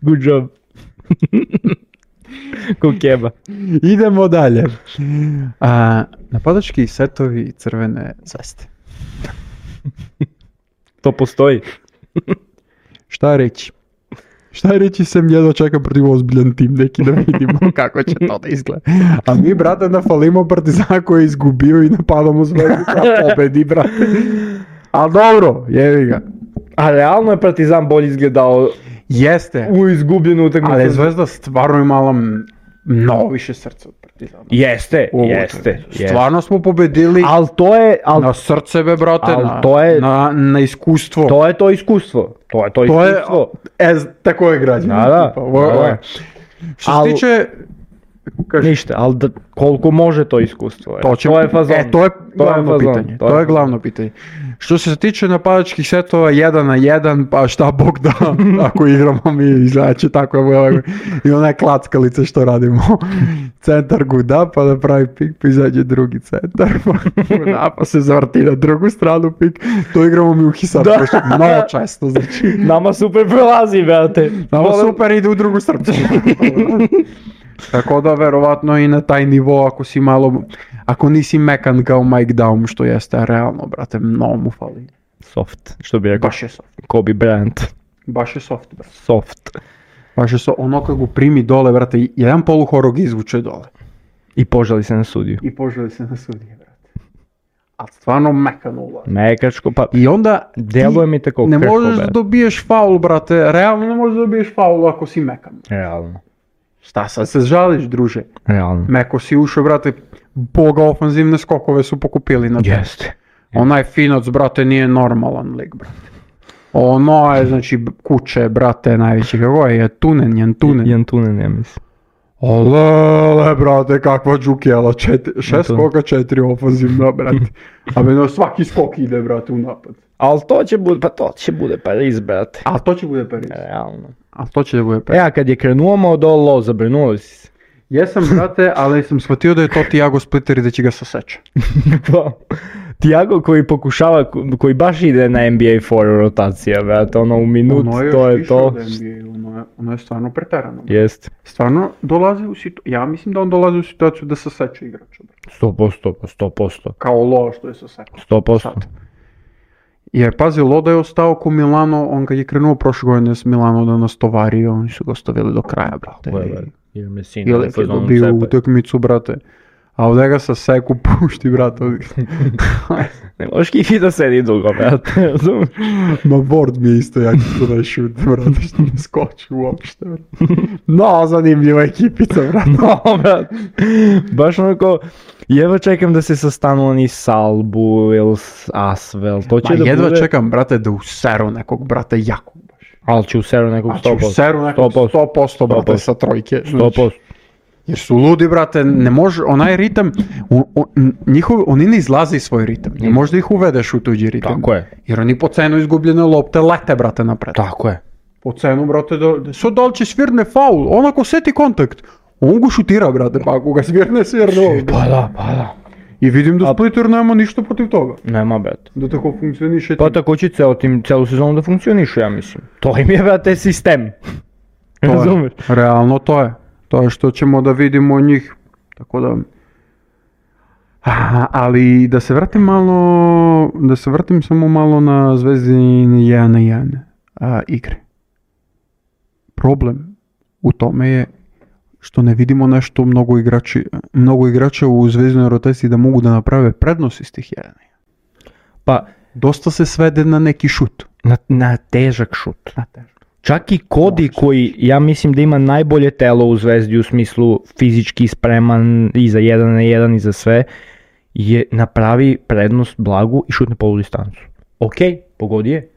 Good job. Ko keba. Idemo dalje. Napadački setovi Crvene Zvezde. To postoji. Šta reći? Šta reći, sem jedva čekam protiv ozbiljan tim neki da vidimo kako će to da izgleda. A mi, brate, nafalimo Partizan koji je izgubio i napadamo Zvezdu koja pobedi, brate. Ali dobro, jevi ga. A realno je Partizan bolje izgledao Jeste. u izgubljenu utakmicu. Ali Zvezda stvarno imala mnogo više srca od Partizana. Jeste. Stvarno smo pobedili Ali to je... na srce, be, brate, na iskustvo. To je to iskustvo. To je iskustvo. Tako je građano. Da. Što se tiče... Ništa, ali koliko može to iskustvo? To je fazon. To je glavno pitanje. Što se tiče napadačkih setova 1 na 1, pa šta Bog da, ako igramo mi, izgleda će tako i ona klackalica što radimo. Centar guda, pa da pravi pik, pa izađe drugi centar, pa se zavrti na drugu stranu pik. To igramo mi u Hisar, mnogo često, znači. Nama super prolazi, brate. Nama super ide u drugu srcu. Tako da verovatno i na taj nivo ako nisi mekan kao Mike Daum, što jeste realno, brate, mnogo mu fali. Soft, što bi rekao. Baš je soft. Kobe Bryant. Baš je soft, brate. Soft. Baš je soft, ono kad go primi dole, brate, jedan poluhorog izvuče dole. I požali se na sudiju. Brate. A stvarno mekan ulaz. Mekačko, pa... I onda deluje mi tako ne možeš da dobiješ faul, brate, realno ne možeš da dobiješ faul ako si mekan. Realno. Šta sad se žališ, druže? Realno. Meko si ušao, brate, boga ofanzivne skokove su pokupili na to. Jeste. Onaj Finac, brate, nije normalan lik, brate. Ono je, znači, kuće, brate, najveći, kako je, Jantunen, ja mislim. Olele, brate, kakva džukjela, 6 skoka, 4 ofanzivna, brate. A meni svaki skok ide, brate, u napad. Ali to će bude Pariz, brate. A to će bude Pariz. Realno. A to će da bude Pariz. A kad je krenuo Modolo, zabrinuli si se. Jesam, brate, ali sam shvatio da je to Thiago Splitter i da će ga saseća. Thiago koji pokušava, koji baš ide na NBA 4 rotacija, brate, ono u minut, to je to. Ono je stvarno preterano. Jest. Stvarno dolazi u situaciju, ja mislim da on dolazi u situaciju da saseća igrača. 100%. Kao Lo što je sasečao. 100%. Jer pazi, Loda je ostao ko Milano, on kad je krenuo prošle godine s Milano da nas tovari, oni su ga ostavili do kraja, brate. Jer Messina je dobio utakmicu, brate. A ovdje ga sa seku pušti, brate. Ne možeš Kifi da sedi dugo, brate, razumiješ? Ma board mi je isto, ja ću to da šutim, brate, što ne skoči uopšte, brate. No, zanimljiva ekipica, brate. No, brate. Baš onako, jedva čekam da se sastanu oni Salbu ili Asvel, to će da bude... Jedva čekam, brate, da useru nekog, brate, jako baš. Ali će useru nekog 100%. Će useru nekog 100%, brate, sa trojke. 100%. Jer su ludi, brate, ne može, onaj ritam, oni ne izlaze iz svoj ritam, ne možda ih uvedeš u tuđi ritam. Tako je. Jer oni po cenu izgubljene lopte lete, brate, napred. Tako je. Po cenu, brate, sad da li će svirne faul, on ako seti kontakt, on go šutira, brate, pa ako ga svirne. Pa da. I vidim da Splitter nema ništa protiv toga. Nema, brate. Da tako funkcioniše. Pa tako će celu sezonu da funkcioniše, ja mislim. To im je, brate, sistem. Razumeš? Realno to je. To je što ćemo da vidimo od njih, tako da... Ali da se vratim samo malo na Zvezdin 1 na 1 igre. Problem u tome je što ne vidimo nešto mnogo igrača u Zvezdinoj rotaciji da mogu da naprave prednost iz tih 1 na 1. Pa, dosta se svede na neki šut. Na težak šut. Čak i Cody koji, ja mislim da ima najbolje telo u Zvezdi u smislu fizički spreman i za 1 na 1 i za sve, je napravi prednost blagu i šutne poludistancu. Ok, pogodi je,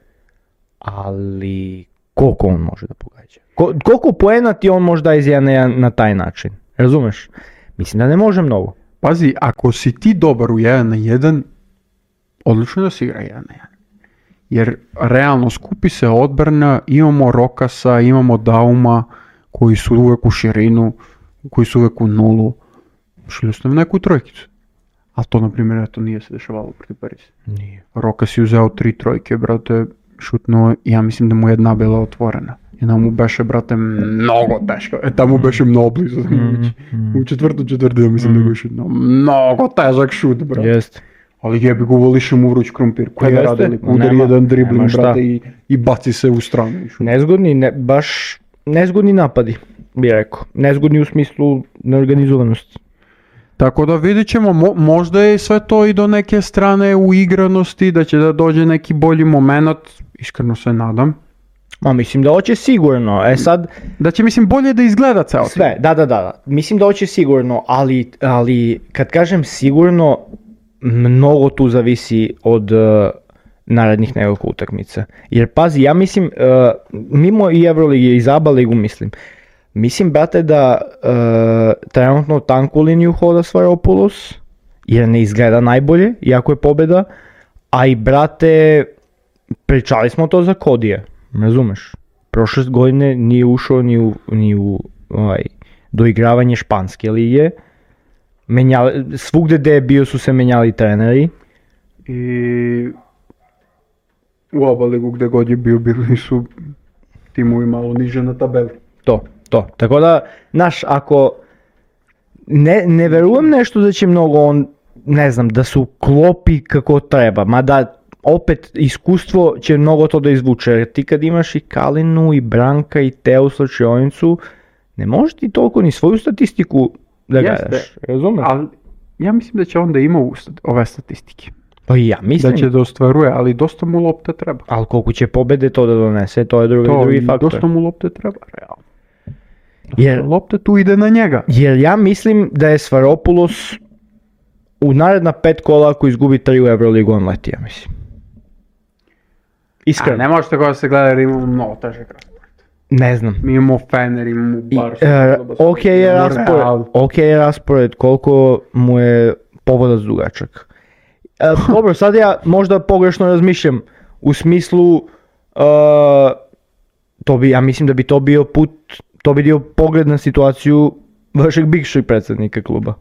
ali koliko on može da pogađa? Koliko poena ti on može da iz 1 na 1 na taj način? Razumeš? Mislim da ne može mnogo. Pazi, ako si ti dobar u 1-1, odlično da si igra 1-1. Jer realno skupi se odbrana, imamo Rokasa, imamo Dauma, koji su uvek u širinu, koji su uvek u nulu. Šli ostavi neku trojkicu. A to, na primjer, eto, nije se dešavalo protiv Pariza. Nije. Rokas je uzeo 3 trojke, brate, šutnuo, ja mislim da mu jedna bila otvorena. Jedna mu beše, brate, mnogo teško. Tamo beše mnogo blizu. U četvrtu četvrtinu mislim da ga šutnuo. Mnogo težak šut, brate. Jest. Ali jebi ga uvoliš mu vruć krompir. Koji je radili? Udari jedan dribling, brate, i baci se u stranu. Nezgodni, baš nezgodni napadi, bi rekao. Nezgodni u smislu neorganizovanosti. Tako da vidit ćemo, možda je sve to i do neke strane uigranosti, da će da dođe neki bolji moment, iskreno se nadam. Ma mislim da hoće sigurno, sad... Da će mislim bolje da izgleda ceo sve, da. Mislim da hoće sigurno, ali kad kažem sigurno, mnogo tu zavisi od narednih nekoliko utakmica. Jer pazi, ja mislim, mimo i Euroligi i Zaba ligu mislim, brate, da trenutno tanku liniju hoda Svaropoulos, jer ne izgleda najbolje, iako je pobjeda, a i, brate, pričali smo to za Kodije, razumeš? Prošle godine nije ušao ni u doigravanje španske lige, svugde gde je bio su se menjali treneri. I u oba ligu gde god je bio, bili su timovi malo niže na tabeli. To. Tako da, znaš, ako ne verujem nešto da će mnogo on, ne znam, da su klopi kako treba, mada opet iskustvo će mnogo to da izvuče, jer ti kad imaš i Kalinu, i Branka, i Teo slačionicu, ne možeš ti toliko ni svoju statistiku da gledaš, razumeš? Ali ja mislim da će onda ima ove statistike. Pa i ja mislim. Da će da ostvaruje, ali dosta mu lopte treba. Ali koliko će pobede to da donese, to je drugi faktor. Dosta mu lopte treba, realno. Jer lopta tu ide na njega. Jer ja mislim da je Svaropoulos u naredna 5 kola ako izgubi 3 u Euroligu on leti, ja mislim. Iskreno. Ne može tako da se gleda jer imamo mnogo težak raspored. Ne znam. Mi imamo Fener, imamo Barsu. Ok je raspored, koliko mu je povodac dugačak. Dobro, sad ja možda pogrešno razmišljam u smislu ja mislim da bi to bio put, to bi bio pogled na situaciju vašeg bivšeg predsjednika kluba.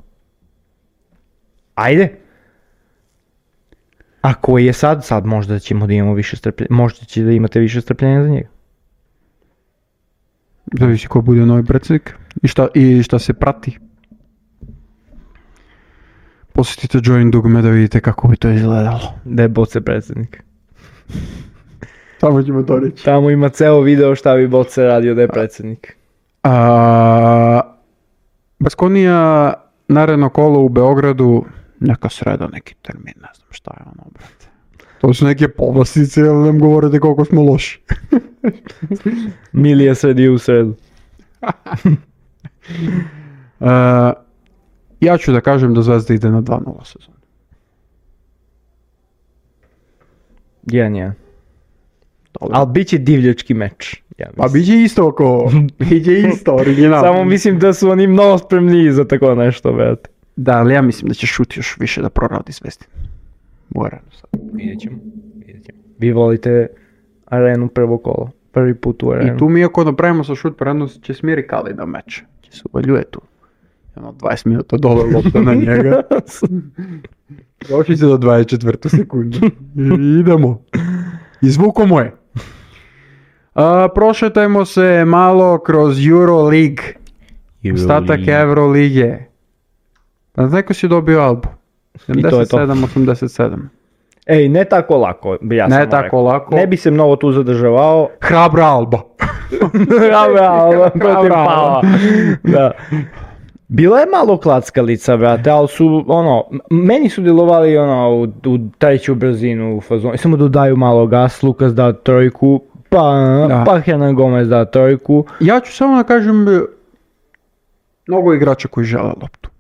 Ajde. A koji je sad možda ćemo da imamo više strpljenja, možda će da imate više strpljenja za njega. Zavisi ko bude novi predsjednik i šta se prati. Posjetite Join dugme da vidite kako bi to izgledalo. Da je Boce predsjednik. Tamo ćemo to reći. Tamo ima ceo video šta bi Boce radio da je predsjednik. Baskonija, naredno kolo u Beogradu, neka sreda, neki termin, ne znam šta je ono, brate. To su neke povlastice, ali nam govorite koliko smo loši. Milija sredi u sredu. Ja ću da kažem da Zvezda ide na 2-0 sezonu. 1-1. Ali bit će divljački meč. Ja pa bit će isto originalno. Samo mislim da su oni mnogo spremniji za tako nešto, brate. Da, ali ja mislim da će šut još više da proradi Zvezdi. U arenu sad. Vidjet ćemo. Vi volite arenu prvo kolo. Prvi put u arenu. I tu mi ako napravimo sa šut prerano će smjeri Kalina meč. Će se uvaljuje tu. 20 minuta dole lopta na njega. Došli se do 24. sekunde. Idemo. Izvuko je. Prošetajmo se malo kroz Euroleague. Ostatak Eurolige. Pa neko si dobio Albu. 77-87. Ej, ne tako lako, bi ja samo rekao. Lako. Ne bi se mnogo tu zadržavao. Hrabra Alba. Hrabra Alba protiv Pava. Da. Bilo je malo klackalica, brate, ali su, meni su djelovali, u treću brzinu u fazonu. Samo dodaju malo gas, Lukas da trojku, pa Hernan Gomez da trojku. Ja ću samo da kažem, mnogo igrača koji žele loptu.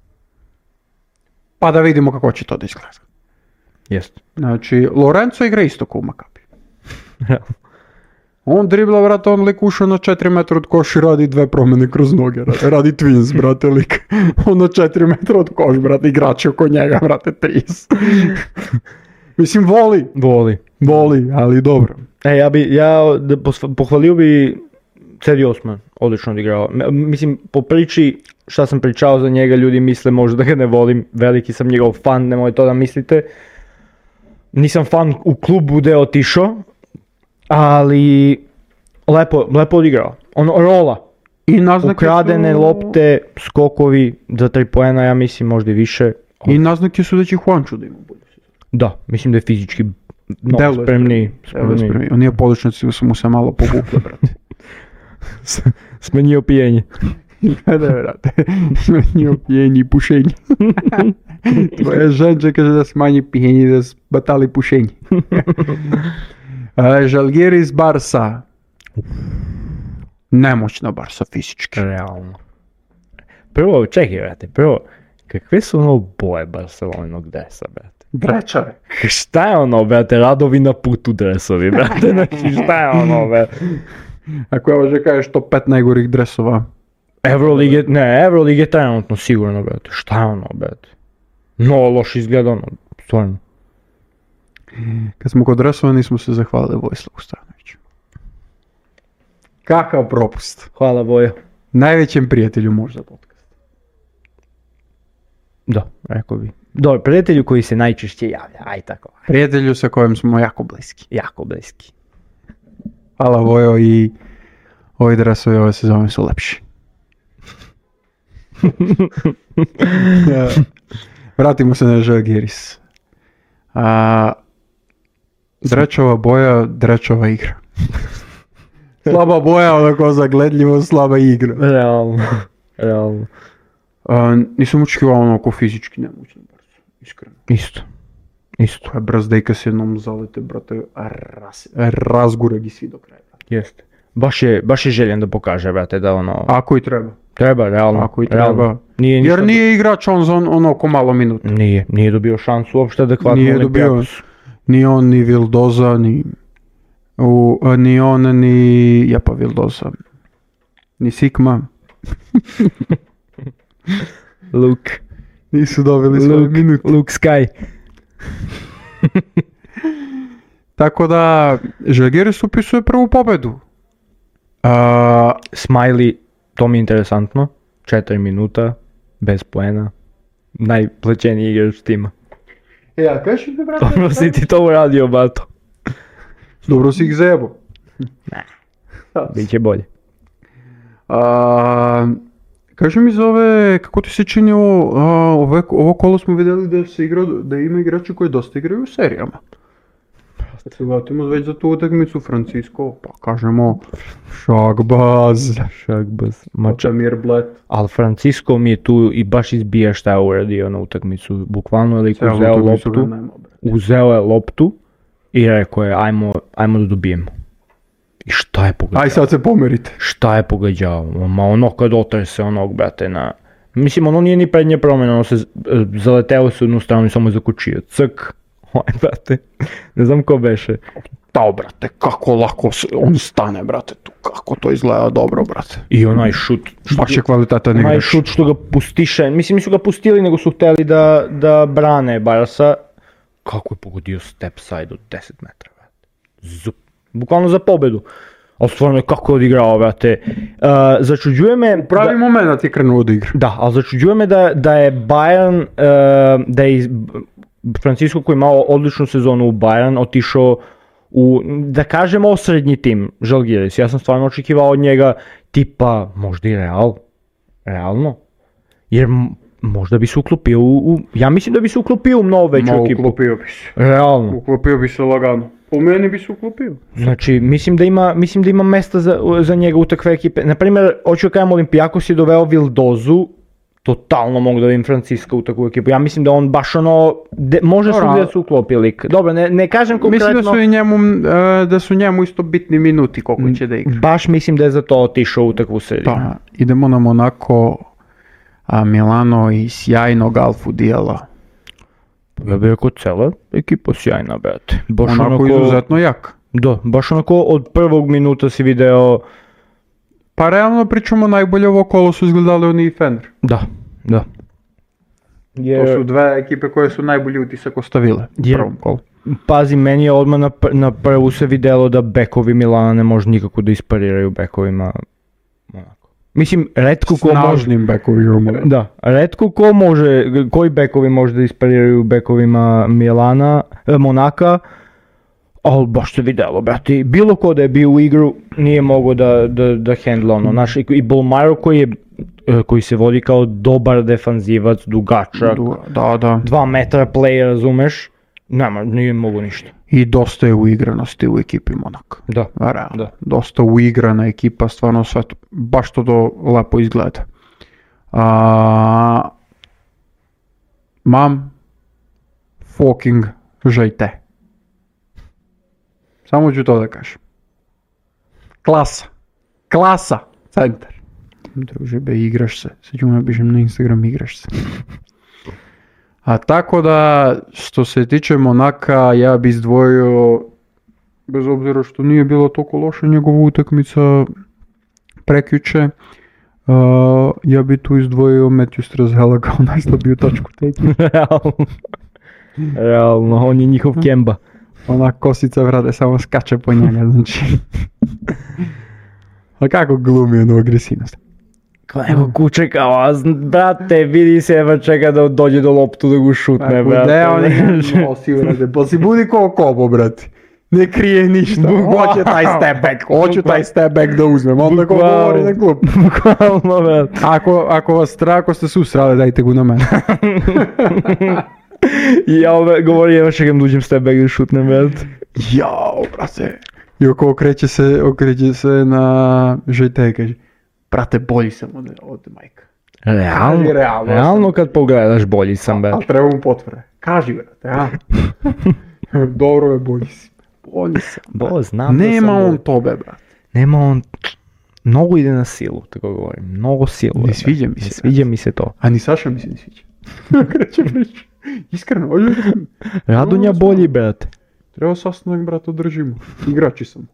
Pa da vidimo kako će to da izgleda. Jest. Znači, Lorenzo igra isto kao u Makabi. On dribla, brate, on lik ušao na 4 metra od koš i radi 2 promjene kroz noge, brate. Radi twins, brate, lik. On na 4 metra od koš, brate, igrači oko njega, brate, 30. Mislim, voli, ali dobro. Pohvalio bi Cedi Osman, odlično odigrao. Mislim, po priči šta sam pričao za njega, ljudi misle možda da ga ne volim, veliki sam njegov fan, nemoj to da mislite. Nisam fan u klubu gdje je otišao, ali lepo odigrao. Rola. I ukradene lopte, skokovi za 3 poena, ja mislim možda i više. I naznake su da će Juancho da ima bolje. Da, mislim da je fizički spremniji. On je poličnici su mu se malo povukle, brate. Smanjio pijenje. Da, brate. Smanjio pijenje i pušenje. Tvoja ženča kaže da smanji pijenje i da batali pušenje. Žalgiris Barsa. Nemoćna Barsa fizički. Realno. Prvo, čekaj, brate, kakve su ono boje Barcelonog dresa, brate? Drečave. Šta je ono, brate, radovi na putu dresovi, brate, znači šta je ono, brate? Ako ja može kažeš top 5 najgorih dresova. Euroleague je trenutno sigurno, brate, šta je ono, brate? No, loš izgleda ono, stvarno. Kad smo kod dresova nismo se zahvalili Vojislavu Stanoviću. Kakav propust. Hvala Vojo. Najvećem prijatelju možda podcast. Da, rekao bi. Dobro, prijatelju koji se najčešće javlja, aj tako. Prijatelju sa kojim smo jako bliski. Jako bliski. Hvala Vojo i ovi dresovi ove sezone su lepši. Vratimo se na Žalgiris. Drečova boja, drečova igra. Slaba boja, onako zagledljivo, slaba igra. Realno. Nisam očekivao onako fizički nemoćno, iskreno. Isto. Koja brazdejka se jednom zalete, brate, razgura gi svi do kraja. Jeste. Baš je željen da pokaže, brate, da ono... Ako i treba. Treba, realno. Ako i treba. Jer nije igrač on za onako malo minuta. Nije dobio šansu uopšte adekvatno. Nije dobio, ni on, ni Vildoza, ni on, ni Japa Vildoza, ni Sikma. Luke. Nisu dobili svoj minut. Luke Sky. Tako da, Žalgiris upisuje prvu pobedu. Smiley, to mi je interesantno. 4 minuta, bez poena. Najplaćeniji igrač tima. A kaži mi, brate? Dobro si ti to uradio, bato. Dobro si ih zajebo. Ne, biće bolje. Kaži mi za ove, kako ti se čini ovo kolo smo vidjeli da ima igrači koji dosta igraju u serijama. Kad se vratimo već za tu utakmicu Francisco, pa kažemo Šagbaz. Otamir Bled. Ali Francisco mi je tu i baš izbija šta je uradio na utakmicu. Bukvalno je uzeo je loptu i rekao je ajmo da dobijemo. I šta je pogađao? Aj sad se pomerite. Šta je pogađao? Ma ono kad otrese onog, brate, na... Mislim, ono nije ni prednje promjena, ono se zaleteo se u jednu stranu i samo je zakučio. Ck. Brate, ne znam ko beše. Tao, brate, kako lako on stane, brate, tu, kako to izgleda dobro, brate. I onaj šut. Baš je kvalitetan igrač. Onaj šut što ga pustiše, mislim nisu ga pustili nego su htjeli da brane Barsa. Kako je pogodio step side od 10 metara, brate. Bukvalno za pobedu. Ali stvarno je kako je odigrao, brate. Začuđuje me... U pravi moment je krenuo od igre. Da, ali začuđuje me da je Bayern, da je Francisco koji je imao odličnu sezonu u Bayern otišao u, da kažem, osrednji tim Žalgiris. Ja sam stvarno očekivao od njega tipa možda i realno. Jer možda bi se uklopio ja mislim da bi se uklopio u mnogo veću ekipu. Uklopio bi se. Realno. Uklopio bi se lagano. Po meni bi se uklopio. Znači, mislim da ima mesta za njega u takve ekipe. Naprimjer, hoću da kažem, Olympiakos je doveo Vildozu, totalno mogu da vidim Francisco u takvu ekipu. Ja mislim da on baš ono, može su da se uklopi lik. Dobro, ne kažem konkretno. Mislim da su njemu isto bitni minuti koliko će da igra. Baš mislim da je za to otišao u takvu seriju. Pa, idemo na Monako, Milano i sjajnog Alfu Dijala. Ja bih rekao cela ekipa sjajna, brate. Monako izuzetno jak. Da, baš onako od prvog minuta si video... Pa realno pričamo, najbolje ovo kolo su izgledali oni i Fener. Da. To su dve ekipe koje su najbolji utisak ostavile u prvom kolu. Pazi, meni je odmah na prvu se vidjelo da bekovi Milana ne može nikako da ispariraju bekovima Monaka. Mislim, retko ko može... Snažnim bekovima. Da, retko ko može, koji bekovi može da ispariraju bekovima Monaka, ali baš se vidjelo, brati. Bilo ko da je bio u igru nije mogao da handla ono. Naš, i Bolmaro koji se vodi kao dobar defanzivac, dugačak, 2 metra play, razumeš, nije mogo ništa. I dosta je uigranosti u ekipi Monaka. Da. Dosta uigrana ekipa, stvarno sve to, baš to lepo izgleda. Mam fucking žajte. Samo ću to da kažem. Klasa, centar. Druže be, igraš se. Sad ću napišem na Instagram, igraš se. A tako da, što se tiče Monaka, ja bi izdvojio, bez obzira što nije bilo toliko loša njegova utakmica prekjuče, ja bi tu izdvojio Matthew Strasela kao najslabiju točku te ekipe. Realno, on je njihov Kemba. Ona kosica, vrade, samo skače po njega, znači. A kako glumi onu agresivnost? Evo kuće kao, brate, vidi se, evo čeka da dođe do loptu da go šutne, brate. Ne, on je nosi, vrade, pa si budi ko Kobo, brate. Ne krije ništa, hoće taj step back da uzmem, onda ko govori na klub. Bukvalno, brate. Ako vas strah, ako ste susrali, dajte go na mene. I ja govori, evo čekam da uđem step back da šutnem, brate. Jao, brate. I okreće se na žajte i kaže, brate, bolji sam od Majka. Realno kad pogledaš, bolji sam, brate. Ali treba mu potvrde. Kaži, brate, a? Dobro je, bolji si. Bolji sam, znam. Nema on tobe, brate. Nema on... Mnogo ide na silu, tako govorim. Mnogo silu. Ne sviđa mi se. Sviđa mi se to. A ni Saša mi se ne sviđa. Kreće priča. Iskreno, Radonja bolji, brate. Treba sastanak, brate, održimo. Igrači sam.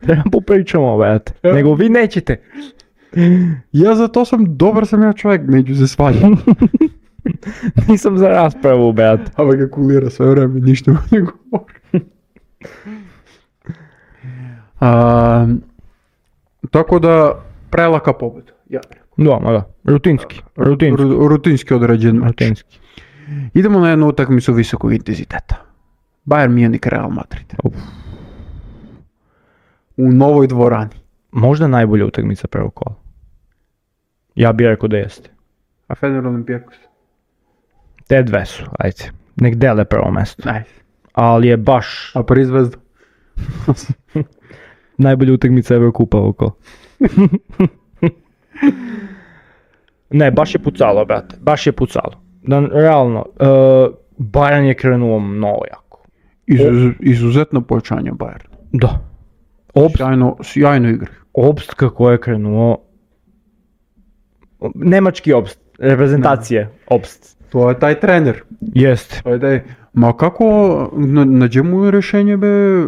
Treba popričamo, brate. Nego vi nećete. Ja za to dobar sam ja čovjek, neću se svađati. Nisam za raspravu, brate. A ga kulira sve vreme, ništa mu ne govori. Tako da, prelaka pobjeda. Ja da. Rutinski određen mač. Idemo na jednu utakmicu visokog intenziteta. Bayern Munich, Real Madrid. U novoj dvorani. Možda najbolja utakmica prvog kola. Ja bih rekao da jeste. A Fener Olympiakos? Te dve su, ajde. Nek dele prvo mesto. Ajde. Ali je baš... A Paris Zvezda? Najbolja utakmica Evrokupa ovog kola. Ne, baš je pucalo, brate. Baš je pucalo. Realno, Bayern je krenuo mnogo jako. Izuzetno pojačanje Bayern. Da. Sjajno igre. Obst kako je krenuo... Nemački Obst. Reprezentacije Obst. To je taj trener. Jest. Ma kako nađe mu rješenje be...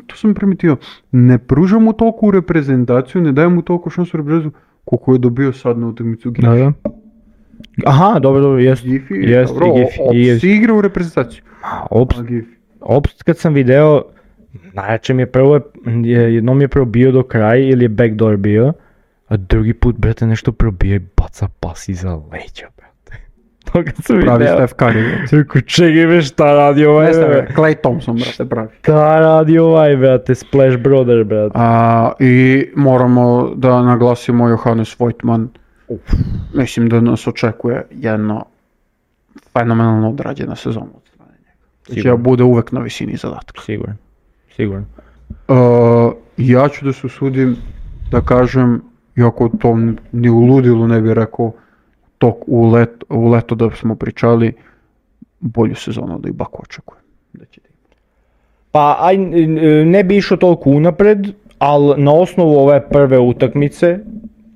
To sam primetio. Ne pruža mu toliko u reprezentaciju, ne daje mu toliko šansu u reprezentaciju koliko je dobio sad na utakmicu Gifi. Da. Aha, dobro, jest. Gifi, dobro, Obst igra u reprezentaciju. Obst kad sam video, najjače mi je prvo, jednom je probio do kraja ili je backdoor bio, a drugi put, brate, nešto probio i baca pas iza leđa, brate. To kad sam video. Pravi Steph Curry. Rekao, čekaj me, šta radi ovaj, brate? Clay Thompson, brate, pravi. Šta radi ovaj, brate, Splash Brother, brate. I moramo da naglasimo Johannes Voigtmann. Mislim da nas očekuje jedna fenomenalno odrađena sezona od strane njega. Znači, bude uvek na visini zadatka. Siguran. Ja ću da se usudim da kažem, iako to ni u ludilu ne bih rekao, u leto da smo pričali, bolju sezonu da i Baku očekuje. Pa ne bi išao toliko unapred, ali na osnovu ove prve utakmice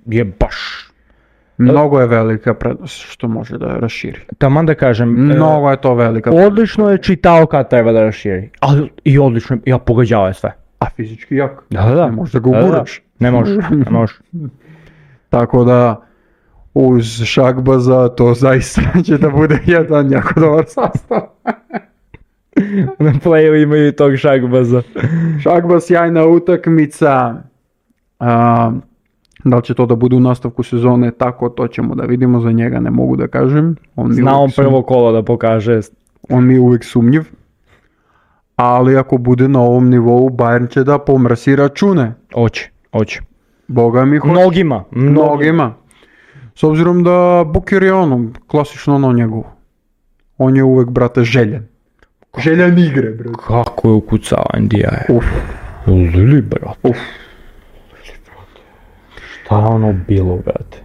je baš Mnogo je velika prednost što može da raširi. Taman da kažem, Mnogo je to velika. odlično je čitao kad treba da raširi, ali i odlično je, pogađao je sve. A fizički jak. Da. Ne možeš da ga uguraš. Ne možeš. Tako da, uz Šakbaza to zaista će da bude jedan jako dobar sastav. Na playu imaju tog Šakbaza. Šakbaz, sjajna utakmica. Da li će to da bude u nastavku sezone, tako to ćemo da vidimo, za njega ne mogu da kažem. Zna on prvo kolo da pokaže. On mi je uvijek sumnjiv. Ali ako bude na ovom nivou, Bayern će da pomrsi račune. Oće. Boga mi hoće. Mnogima. S obzirom da Booker je klasično njegov. On je uvijek, brate, željen. Željen igre, brate. Kako je ukucao Ndija je. Lili, brate. Šta je ono bilo, brate?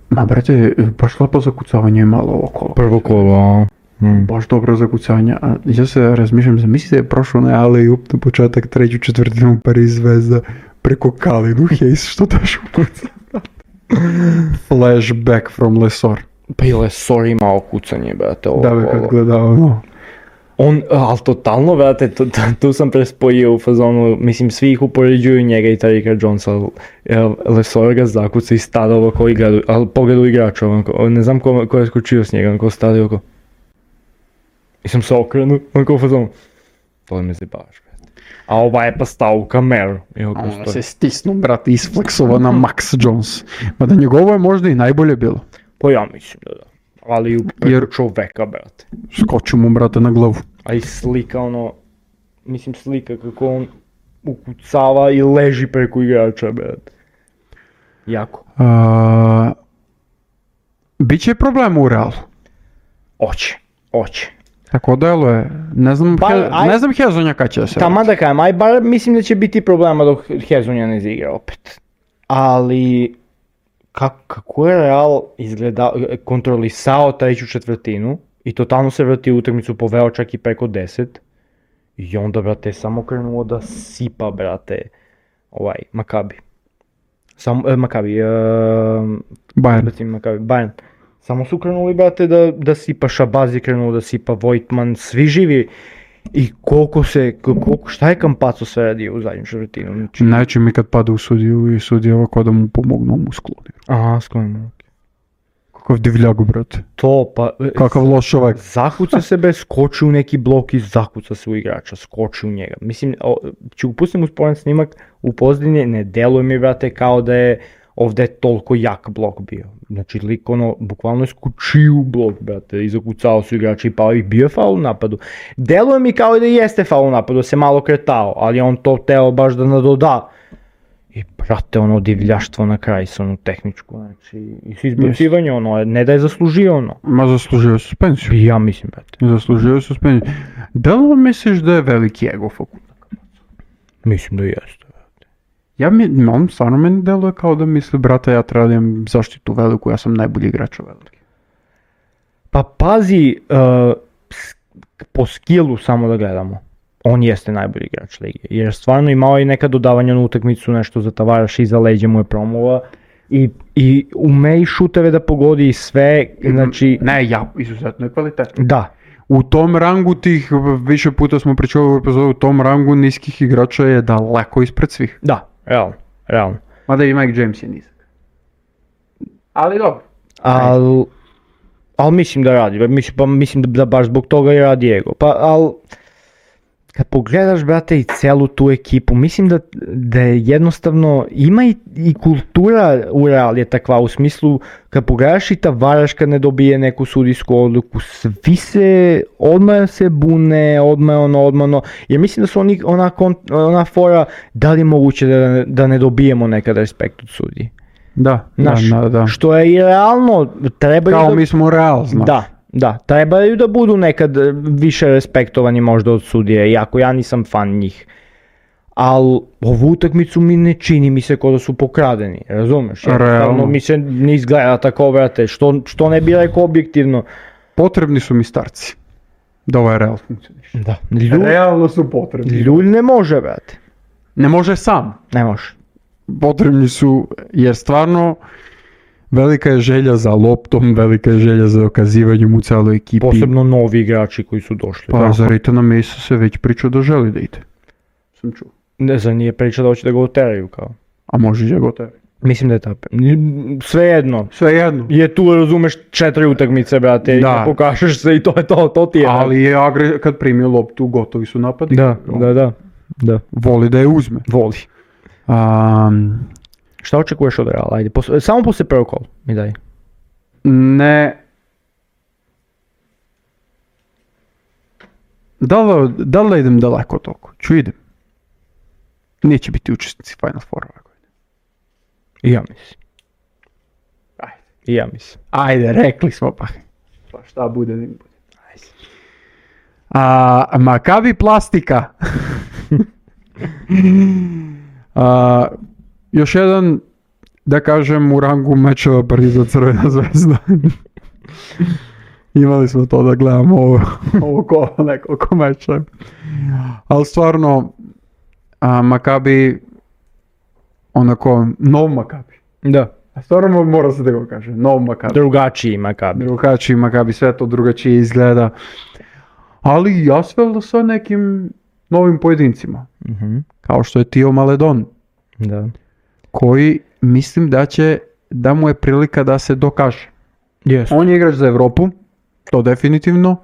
Ma, brate, baš lepo zakucavanje je malo ovo kolo. Prvo kolo, Baš dobro zakucavanje. Ja se razmišljam, zamislite je prošlo na alley-oop na početak treću četvrtinu Paris Zvezda preko Kalinu Hayes, što daš ukuca. Flashback from Lesor. Pa i Lesor imao kucanje, brate, ovo da bi kad gledao, ali totalno, brate, tu sam prespojio u fazonu, mislim, svi ih upoređuju njega i Tarika Jonesa, Lesor ga zakuca i stada ovako igradu, ali pogledu igrača, ne znam ko je skočio s njega, ko stadi oko. I sam se okrenuo, onako u fazonu, to me zjebaš, brate. A ova je pa stao u kameru. On se stisnu, brate, isfleksova na Max Jones. Mada njegovo je možda i najbolje bilo. Pa ja mislim da. Ali preko čoveka, brate. Skoču mu, brate, na glavu. A i slika slika kako on ukucava i leži preko igrača, brate. Jako. Biće problem u Realu. Oće. Tako deluje. Ne znam Hezonja kad će se. Tamo da kajem, bar mislim da će biti problema dok Hezonja ne izigra opet. Ali kako je Real kontrolisao treću četvrtinu i totalno se vrti u utakmicu, poveo čak i preko 10 i onda, brate, samo krenuo da sipa, brate, Maccabi. Bayern. Samo su krenuli, brate, da sipa Šabazi, krenuo da sipa Vojtman, svi živi. I šta je Campazzo sve radio u zadnju četvrtinu? Najče mi kad pada u sudiju i sudija ovako da mu pomognu, mu skloni. Aha, skloni. Kakav divljak, brate. To pa... Kakav loš čovjek. Zakuca se skoči u neki blok i zakuca se u igrača, skoči u njega. Mislim, ću pustim usporen snimak u pozadini, ne deluje mi, brate, kao da je ovdje toliko jak blok bio. Znači, lik bukvalno je skočio u blok, brate, i zakucao su igrači i pao i bio je faul u napadu. Deluje mi kao da jeste faul u napadu, se malo kretao, ali on to teo baš da nadoda. I, brate, divljaštvo na kraj sa tehničku, znači, i s izbacivanje, ne da je zaslužio Ma zaslužio je suspenziju. Ja mislim, brate. Zaslužio je suspenziju. Da li misliš da je veliki ego fakulta? Mislim da jeste. On stvarno meni deluje kao da misli, brate, ja treba da imam zaštitu veliku, ja sam najbolji igrač veliki. Pa pazi, po skillu samo da gledamo, on jeste najbolji igrač lige, jer stvarno imao je neka dodavanja na utakmicu, nešto za Tavaraš, iza leđa mu je promova i ume i šuteve da pogodi i sve, znači... Izuzetno je kvalitetno. Da. U tom rangu tih, više puta smo pričali u epizodu, u tom rangu niskih igrača je daleko ispred svih. Da, realno. Mada i Mike James je nizak. Ali dobro. Ali mislim da radi, mislim da baš zbog toga i radi ego. Ali kad pogledaš, brate, i celu tu ekipu, mislim da je jednostavno, ima i kultura u Real je takva, u smislu, kad pogledaš i Tavaraš kad ne dobije neku sudijsku odluku, svi se, odmah se bune, odmah, jer mislim da su ona fora, da li je moguće da ne dobijemo nekad respekt od sudiji. Da. Što je i realno, kao mi smo Real, znaš. Da, trebaju da budu nekad više respektovani možda od sudije, iako ja nisam fan njih. Ali ovu utakmicu ne čini mi se kao da su pokradeni, razumeš? Realno mi se ne izgleda tako, brate, što ne bi rekao objektivno. Potrebni su mi starci, da ovaj Real funkcioniše. Da. Realno su potrebni. Ljulj ne može, brate. Ne može sam. Ne može. Potrebni su, jer stvarno velika je želja za loptom, velika je želja za dokazivanjem u celoj ekipi. Posebno novi igrači koji su došli. Pa za Reitana Masea se već pričao da želi da ide. Sam čuo. Ne znam, nije pričao da hoće da ga oteraju kao. A može da ga oteraju. Mislim da je tako. Svejedno. Je tu, razumeš, 4 utakmice, brate, da. I pokažeš se i to je to ti je. Ali je kad primio loptu, gotovi su napadi. Da. Voli da je uzme. Voli. Šta očekuješ od Reala? Ajde, samo posle prvog kola mi daj. Ne. Da li idem daleko toliko? Idem. Neće biti učesnici Final Four ove godine. I ja mislim. Ajde, rekli smo pa. Pa šta bude, ne bude. Maccabi Plastika. Još jedan, da kažem, u rangu mečeva Pariza Crvena zvezda. Imali smo to da gledamo ovo kola nekoliko mečeva. Ali stvarno, Maccabi, onako, nov Maccabi. Da. Stvarno mora se da ga kaže, nov Maccabi. Drugačiji Maccabi, sve to drugačije izgleda. Ali jasvel sa nekim novim pojedincima. Mm-hmm. Kao što je Tio Maledon. Da. Koji mislim da mu je prilika da se dokaže. Yes. On je igrač za Evropu, to definitivno.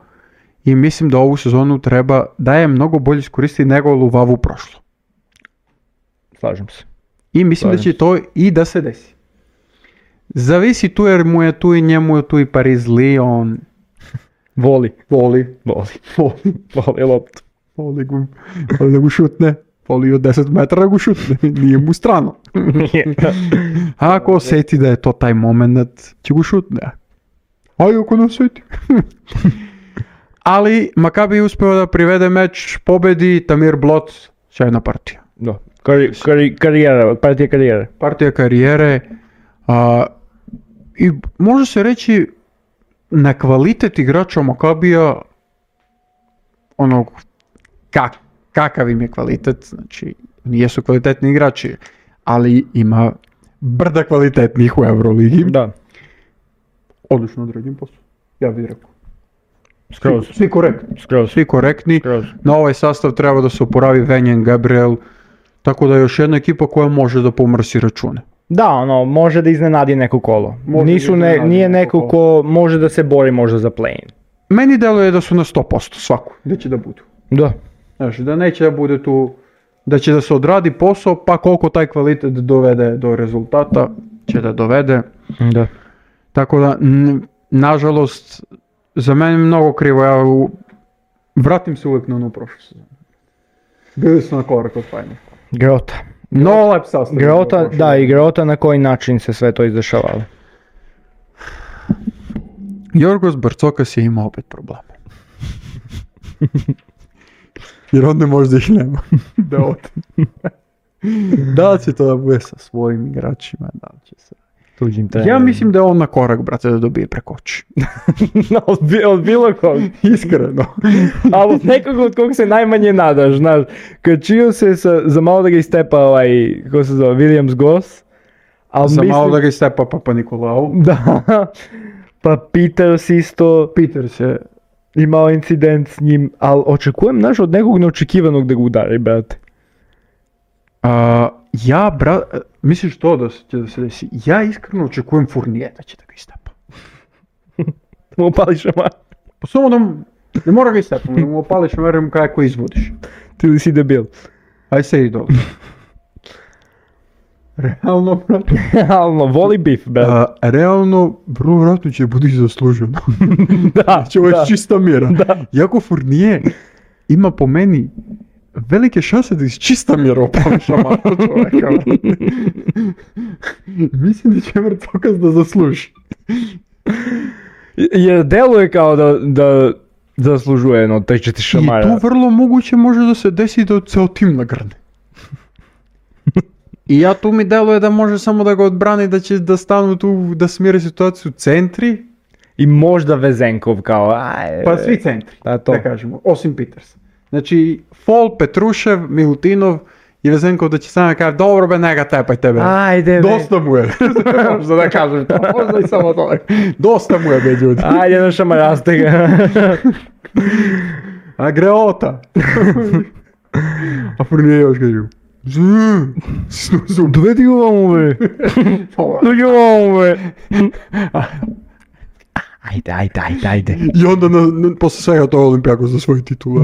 I mislim da ovu sezonu treba da je mnogo bolje iskoristiti nego Luvavu prošlo. Slažem se. I mislim da će to i da se desi. Zavisi tu jer mu je tu i njemu je tu i Paris Lyon. Voli loptu. Voli da ga šutne. Voli od 10 metara da ga šutne. Nije mu strano. A ako osjeti da je to taj moment, će ga šutne. A i ako ne osjeti. Ali Maccabi je uspio da privede meč pobedi. Tamir Blot, sjajna partija. Da. Partija karijere. I može se reći na kvalitet igrača Maccabija, onog kakav im je kvalitet, znači nijesu kvalitetni igrači, ali ima brda kvalitetnih u Euroligi. Da. Odlično odrađen posao, ja bih rekao. Skroz. Svi korektni. Na ovaj sastav treba da se oporavi Venjen, Gabriel, tako da je još jedna ekipa koja može da pomrsi račune. Da, može da iznenadi neko kolo. Nije neko ko može da se bori možda za play-in. Meni deluje da su na 100% svaku, da će da budu. Da. Znači, da neće da bude tu, da će da se odradi posao, pa koliko taj kvalitet dovede do rezultata, će da dovede. Da. Tako da, nažalost, za mene je mnogo krivo, ja vratim se uvijek na ono prošlo sezonu. Bili su na korak od Final. Grota. No lep sastav. Grota na koji način se sve to izdešavalo. Jorgos Barcokas je imao opet probleme. Jer on ne može da ih nema. Da li će to da bude sa svojim igračima, da li će se... Ja mislim da je on na korak, brate, da dobije preko oči. Od bilo kog. Iskreno. Ali od nekog od kog se najmanje nadaš, znaš. Kad čio se za malo da ga istepa kako se zove, Williams Goss. Malo da ga istepa Papa Nikolau. Da. Pa Peters isto. Peters je imao incident s njim, ali očekujem, znaš, od nekog neočekivanog da ga udari, brate. Misliš to da će da se desi? Ja iskreno očekujem Fournier da će da ga istepa. Da mu opališ šamar? Pa samo da ne mora ga istepam, da mu opališ šamar i kako izvodiš. Ti li si debil? Aj se i dobro. Realno, brate. Realno, voli bif, brate. Realno, vrlo vratno će budi zasluženo. Da, će ovo je čista mjera. Da. Iako Fournier ima po meni velike šanse da iz čista mjera opali šamar čovjeka. Mislim da će Barcokas da zasluži. Jer deluje kao da zaslužuje jedno taj 4 šamara. I tu vrlo moguće može da se desi da ceo tim nagrne. I ja tu mi deluje da može samo da ga odbrani, da će da stanu tu, da smire situaciju centri. I možda Vezenkov kao... Pa svi centri, da kažemo, osim Petersa. Znači, Fall, Petrušev, Milutinov i Vesenkov da će samo kaže, dobro be, neka tepaj tebe. Ajde be. Dosta mu je. Možda da kažem to, možda i samo to. Dosta mu je be, ljudi. Ajde, na šamaraste ga. A greota. A Fournier još kažu. Dovedi ga ovamo be. Dovedi ga ovamo be. Ajde. I onda posle svega to Olimpijakos za svoj titula.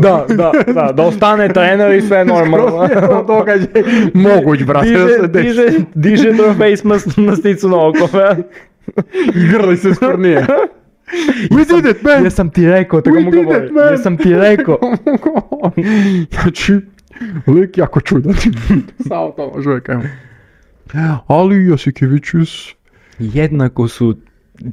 Da ostane trener i sve normalno. Događaj moguć, brate, da se desi. Diže trofej s masticu na oko. I grli se s Fournier. We did it, man! Jesam ti rekao, tako mu govori. Jesam ti rekao. Znači, lik jako čudan. Samo to može uvijek kažem. Ali Jasikevičius... Jednako su,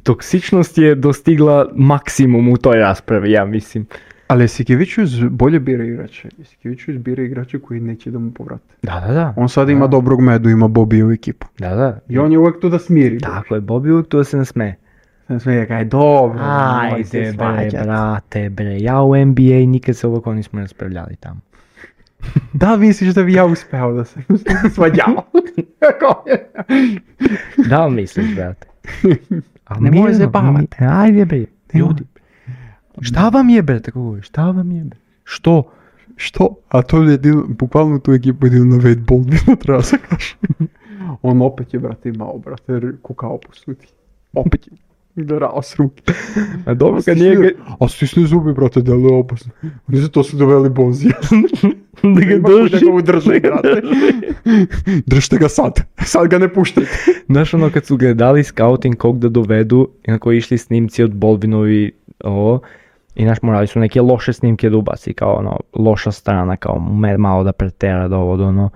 toksičnost je dostigla maksimum u toj raspravi, ja mislim. Ali Jasikevičius bolje bira igrače. Jasikevičius bira igrače koji neće da mu povrate. Da. On sad ima dobrog Medu, ima Bobiju ekipu. Da. I on je uvijek tu da smiri. Tako je, Bobby uvijek tu da se ne sme. Kaj, dobro. Ajde bre, brate bre, ja u NBA nikad se ovako nismo raspravljali tamo. Da misliš da bi ja uspeo da se svađao? Da misliš, brate? Ne može se bavati. Ajde bre, ljudi. Šta vam je bre, tako govori, šta vam je bre? Što? A to je bukvalno tu ekipu jedino na Wade Baldwina, treba se kaže. On opet je, brate, imao, brate, kukao po suti. Opet je. Drao s ruke. A dobro kad nije... A stisne zubi, brate, delo je opasno. Oni za to su doveli Bonzija. Da ga drži. Da ga udrži, brate. Držite ga sad. Sad ga ne puštajte. Znaš ono kad su ga dali scouting kog da dovedu i na koji išli snimci od Baldwinovi ovo. I naš morali su neke loše snimke da ubaci, kao ono, loša strana, kao malo da pretera da ovo, ono.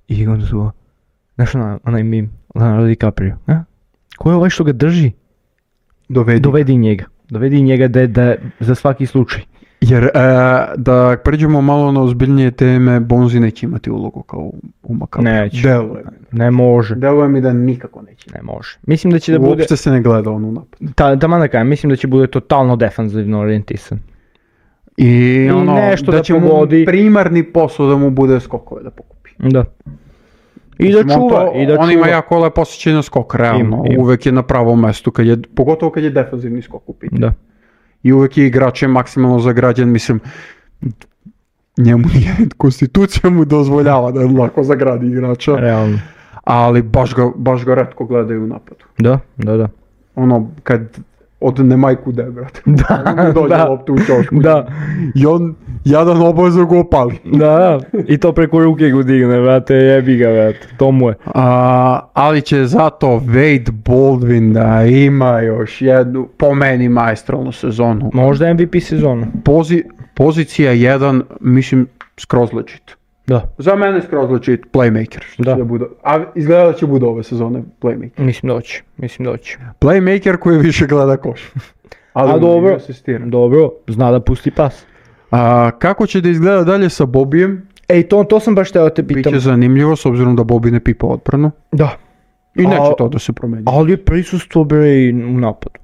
I onda su, znaš onaj meme, Leonardo DiCaprio, ko je ovaj što ga drži? Dovedi njega da za svaki slučaj. Jer da pređemo malo na ozbiljnije teme, Bonzi neće imati ulogu kao u Makabi. Neće. Ne može. Deluje mi da nikako neće. Ne može. Mislim da će da bude... Uopšte se ne gleda on u napad. Taman da kažem, mislim da će bude totalno defanzivno orijentisan. I ono, nešto da će pogodi. Mu primarni posao da mu bude skokove da pokupi. Da. I da čuva. On ima jako lepo osjećaj na skok, realno. Uvek je na pravom mestu, pogotovo kad je defanzivni skok u pitanju. Da. I uvek je igrač je maksimalno zagrađen, mislim, njemu nije, konstitucija mu dozvoljava da lako zagradi igrača. Realno. Ali baš ga retko gledaju u napadu. Da. Ono, kad odne majku de, brate. Da, dođe loptu u čošku. Da. I on jadan obavezno ga opali. Da. I to preko ruke go digne, brate, jebi ga, brate. To mu je. Ali će zato Wade Baldwin da ima još jednu, po meni, maestralnu sezonu. Možda MVP sezonu. Pozicija 1, mislim, skroz legit. Da. Za mene skroz legit playmaker. A izgleda da će bude ove sezone playmaker. Mislim da hoće. Playmaker koji više gleda koš. A dobro, zna da pusti pas. Kako će da izgleda dalje sa Bobijem? To sam baš teo te pitam. Biće zanimljivo s obzirom da Bobby ne pipa odbranu. Da. I neće to da se promeni. Ali je prisustvo bre i u napadu.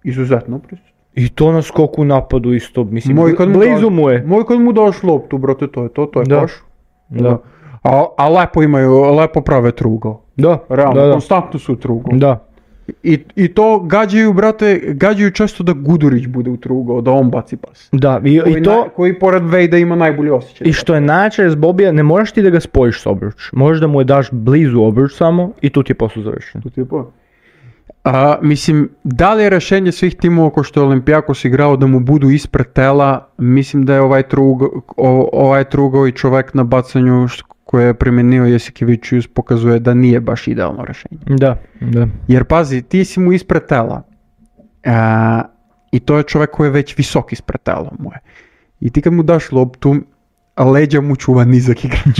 Izuzetno prisustvo. I to na skoku u napadu isto, mislim, blizu mu je. Moj kad mu daš loptu, brate, to je koš. Da. A lepo prave trugao. Da. Realno, konstantno su trugao. Da. I to gađaju često da Gudurić bude u trugao, da on baci pas. Da, koji pored Vejda ima najbolji osjećaj. I što je način s Bobija, ne moraš ti da ga spojiš s obruč. Možeš da mu je daš blizu obruč samo i tu ti je posao završen. Mislim, da li je rešenje svih timova ko što je Olimpijakos igrao da mu budu ispred tela, mislim da je ovaj trugao i čovek na bacanju koje je primenio Jasikevičius pokazuje da nije baš idealno rešenje. Da. Jer pazi, ti si mu ispred tela i to je čovek koji je već visok ispred tela mu je. I ti kad mu daš loptu, leđa mu čuva nizak igrač.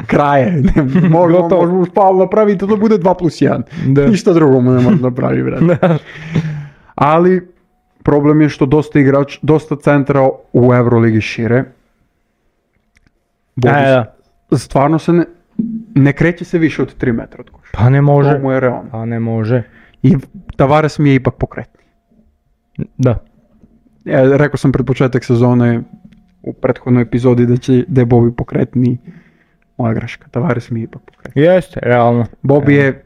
Kraje. Možemo spalu napraviti da bude 2+1. Ništa drugo mu ne može napravi, brate. Ali problem je što dosta centra u Euroligi šire. Stvarno se ne kreće se više od 3 metra od koša. Pa ne može. To mu je realno. Pa ne može. I Tavares mi je ipak pokretni. Da. Rekao sam pred početak sezone u prethodnoj epizodi da je Bobby pokretni moja greška, Tavares mi je ipak pokretio. Jeste, realno. Bobby je,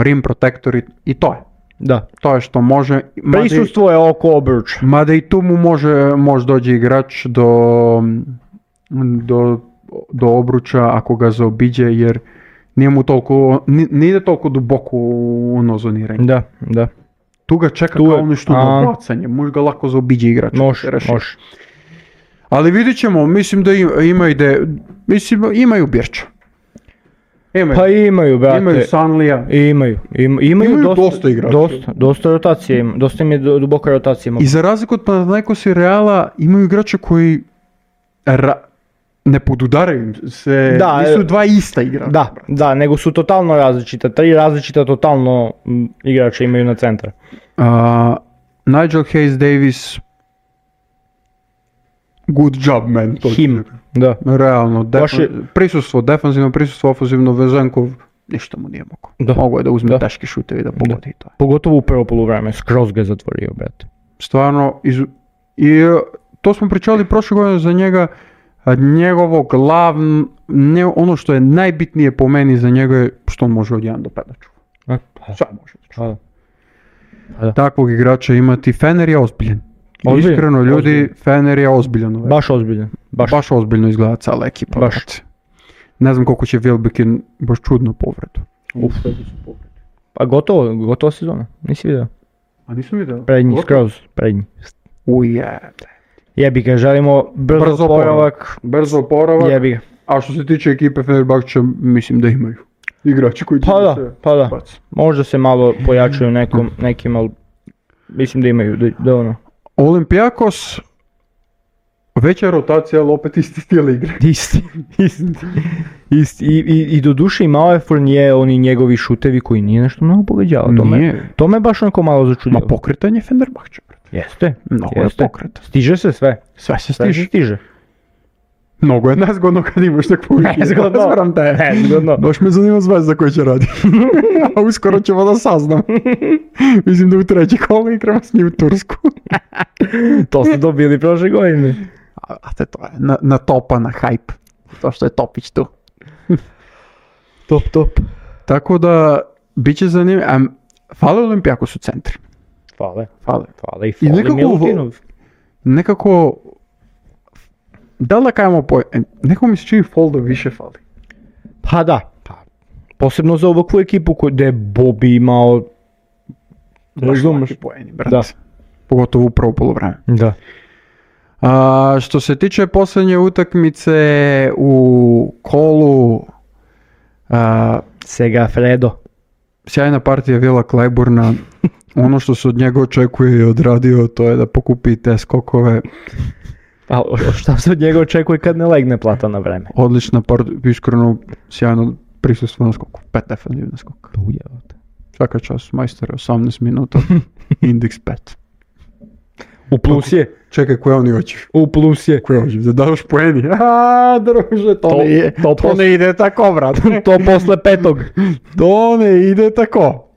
rim protektor i to je. Da. To je što može. Prisustvo je oko obruča. Mada i tu mu može dođe igrač do obruča ako ga zaobiđe, jer nije mu toliko, ne ide toliko duboko u ono zoniranje. Da. Tu ga čeka kao nešto na bacanje, može ga lako zaobiđe igrač. Može. Ali vidit ćemo, mislim da imaju Birča. Pa imaju, brate. Imaju Sanlija. Imaju dosta igrača. Dosta rotacije ima. Dosta im je duboka rotacija. I za razliku od Panathinaikosa i Reala imaju igrača koji ne podudaraju se, nisu dva ista igrača. Da, nego su totalno različita. 3 različita totalno igrača imaju na centra. Nigel Hayes Davis, good job, man. Da. Realno, defanzivno prisustvo, ofenzivno, Vezenkov, ništa mu nije mogo. Mogo je da uzme teške šutevi da pogodi i to. Pogotovo u prvo poluvreme, skroz ga zatvorio, brate. Stvarno, i to smo pričali prošle godine za njega, njegovo ono što je najbitnije po meni za njega je što on može od 1 do 5 da čuva. Šta može da čuva. Takvog igrača imati, Fener je ozbiljen. Iskreno ljudi, Fener je ozbiljan. Baš ozbiljno izgleda cijela ekipa. Baš. Ne znam koliko će Wilbekin, baš čudno povredu. Pa gotovo sezona, nisi vidio? A nisam vidio. Prednji. Ujebe. Jebi ga, želimo brzo oporavak. Jebi ga. A što se tiče ekipe Fenerbahča, mislim da imaju igrači koji će Pa da. Možda se malo pojačaju nekim, ali mislim da imaju, da ono. Olympiakos, veća rotacija, ali opet isti stil igre. Isti. I do duše imao je Fournier, oni njegovi šutevi koji nije nešto mnogo pogađao. To me baš onako malo začudio. Ma pokretanje Fenerbahča. Jeste. Mnogo je pokret. Stiže se sve. Sve se stiže. Mnogo je nezgodno kad imaš takvu nezgodno. Baš me zanima Zvezda koji će raditi. A uskoro ćemo da saznam. Mislim da u 3. kolo igramo s njim u Tursku. To su dobili prošle godine. A to je na topa, na hype. To što je Topić tu. Top. Tako da, bit će zanimljivo. Fale Olympiakos u centri. Fale. I nekako, da li da kajemo nekako mi se čini Folda više fali. Pa da. Posebno za ovakvu ekipu gdje je Bobby imao... Razumeš poeni, brate. Pogotovo u prvo poluvreme. Da. Što se tiče posljednje utakmice u kolu... Segafredo. Sjajna partija Vila Clyburna. Ono što se od njega očekuje i odradio, to je da pokupi te skokove. Pa šta se od njega očekuje kad ne legne plata na vreme? Odlična iskreno sjajno prisustvo na skoku. 5 defensivna skoka. Svaka čast, majster 18 minuta, indeks 5. U plus je. Čekaj, koje oni oči? U plus je. Koje oči? Da daš poeni? Druže, to ne ide tako, brat. To posle 5. To ne ide tako.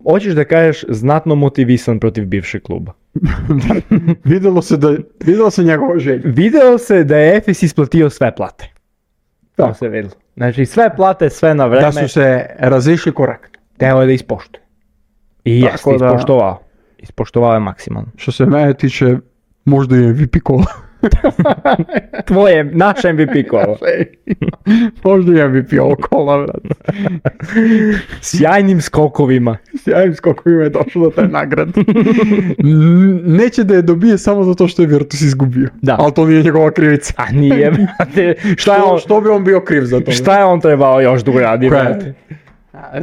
Hoćeš da kažeš znatno motivisan protiv bivšeg kluba. Videlo se njegova želja. Videlo se da je Efes isplatio sve plate. To se videlo. Znači sve plate, sve na vreme. Da su se razišli korektno. Teo je da ispoštuje. I jeste ispoštovao. Ispoštovao je maksimalno. Što se mene tiče, možda je MVP kola. Naš MVP kola. Možda je MVP ovo kola, vrat. Sjajnim skokovima je došlo do taj nagrad. Neće da je dobije samo zato što je Virtus izgubio. Da. Ali to nije njegova krivica. A nije, brate. Što bi on bio kriv za to? Šta je on trebao još da uradi, brate?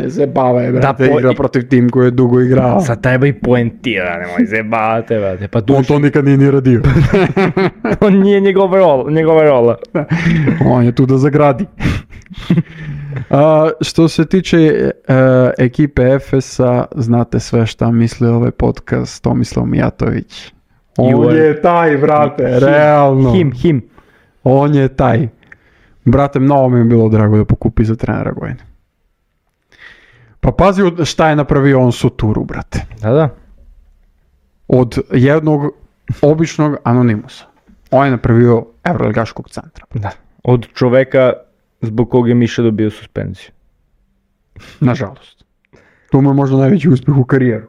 Zebava je, brate, igra protiv tim koji je dugo igrao. Sad treba i poentira, nemoj zebavate, brate. Pa on to nikad nije ni radio. On nije njegova rola. On je tu da zagradi. Što se tiče ekipe Efesa, znate sve šta misli ovaj podcast Tomislav Mijatović. On je taj, brate, realno. Him. On je taj. Brate, mnogo mi je bilo drago da pokupi za trenera godine. Pa pazi šta je napravio on Suturu, brate. Da. Od jednog običnog anonimusa. On je napravio evroligaškog centra. Da. Od čoveka zbog kog je Miša dobio suspenziju. Nažalost. To mu je možda najveći uspjeh u karijeru.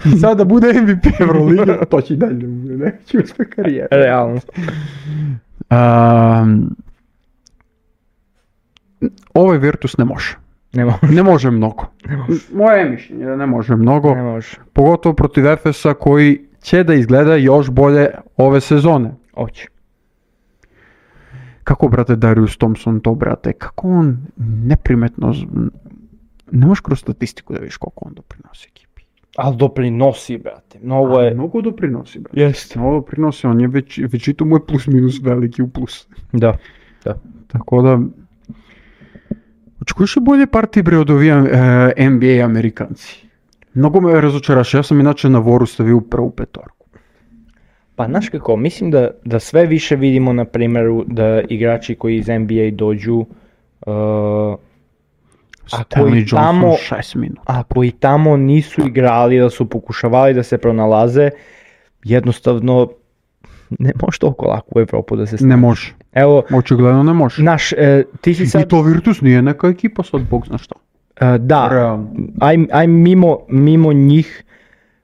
I sada bude MVP Evrolige, to će i dalje da bude najveći uspjeh karijere. Realno. Ovaj Virtus ne može. Ne može mnogo. Moje je mišljenje da ne može mnogo. Ne može. Pogotovo protiv Efesa koji će da izgleda još bolje ove sezone. Oće. Kako, brate, Darius Thompson to, brate, kako on neprimetno, ne možeš kroz statistiku da vidiš koliko on doprinosi ekipi. Ali doprinosi, brate, mnogo je... Mnogo doprinosi, brate. Jeste. Mnogo doprinosi, on je već i to mu je plus minus veliki u plus. Da. Tako da, očekuješ li bolje partije bre od ovih NBA Amerikanci? Mnogo me razočaraš, ja sam inače na Voru stavio prvu petorku. Pa znaš kako, mislim da sve više vidimo na primjeru da igrači koji iz NBA dođu, ako i tamo nisu igrali, da su pokušavali da se pronalaze, jednostavno ne može toliko lako u Evropu da se snaži. Ne može. Evo, očigledno ne može. Ti si sad... I to Virtus nije neka ekipa sad, bog zna što. Da, aj mimo njih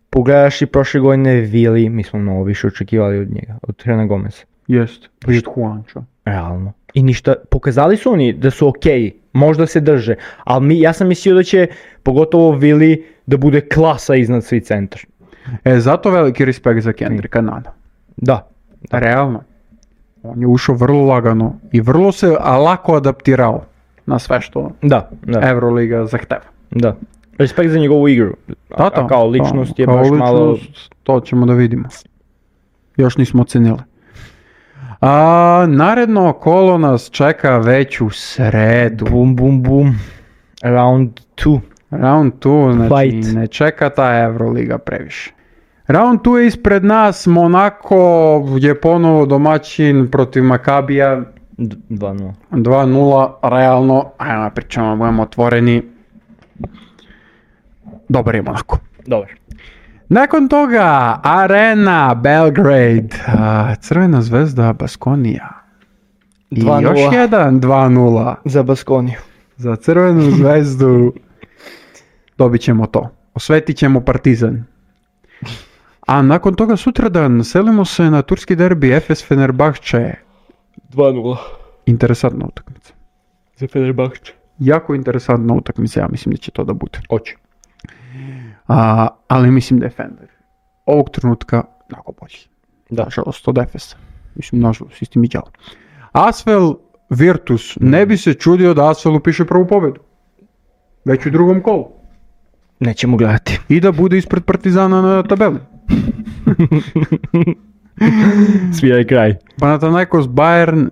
pogledaš i prošle godine Vili, mi smo mnogo više očekivali od njega, od Hernan Gomeza. Jest, i od Juanča. Realno. I ništa, pokazali su oni da su okej, možda se drže, ali ja sam mislio da će, pogotovo Vili, da bude klasa iznad svi centar. Zato veliki respekt za Kendricka Nana. Da. Realno. On je ušao vrlo lagano i vrlo se lako adaptirao na sve što Evroliga zahteva. Da. Respekt za njegovu igru. A kao ličnost je baš malo... To ćemo da vidimo. Još nismo ocenili. Naredno kolo nas čeka već u sredu. Bum. Round 2. Round 2, znači ne čeka ta Evroliga previše. Round 2 je ispred nas, Monako je ponovo domaćin protiv Makabija. 2-0. 2-0, realno, ajmo pričamo, budemo otvoreni. Dobar je Monako. Dobar. Nakon toga, Arena, Belgrade, Crvena zvezda, Baskonija. I još jedan 2-0. Za Baskoniju. Za Crvenu zvezdu dobit ćemo to. Osvetit ćemo Partizan. A nakon toga sutradan selimo se na turski derbi Efes Fenerbahče. 2-0. Interesantna utakmica. Za Fenerbahče. Jako interesantna utakmica, ja mislim da će to da bude. Hoće. Ali mislim da je Fener ovog trenutka mnogo bolji. Da. Nažalost od Efesa. Mislim, nažalost, istim i djelo. Asvel Virtus. Ne bi se čudio da Asvel upiše prvu pobedu. Već u drugom kolu. Nećemo gledati. I da bude ispred Partizana na tabeli. Sviraj kraj. Panathinaikos Bayern.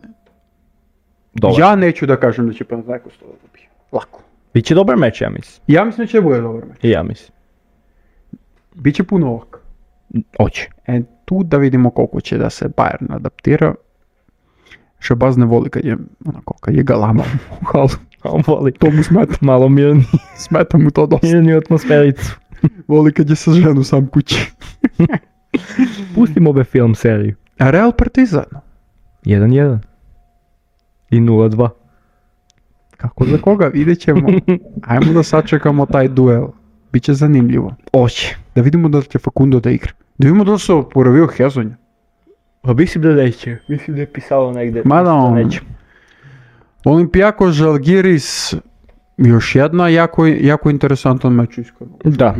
Dobar. Ja neću da kažem da će Panathinaikos to dobiti. Lako. Biće dobar meč, ja mislim. Ja mislim da će bude dobar meč. I ja mislim. Biće puno ovak. Oće. Tu da vidimo koliko će da se Bayern adaptira. Šabaz ne voli kad je galama u halu. On voli. To mu smeta. Malo mirni. Smeta mu to dosta. Mirni atmosfericu. Voli kad je sa ženu sam kući. Pustimo ove film seriju. A Real Partizan? 1-1. I 0-2. Kako za koga? Vidjet ćemo. Ajmo da sačekamo taj duel. Biće zanimljivo. Oće. Da vidimo da li će Facundo da igra. Da vidimo da li se oporavio Hezonja. Pa mislim da neće. Mislim da je pisalo negdje. Mada on. Olympiakos Žalgiris. Još jedna jako interesantan meč iskreno. Da.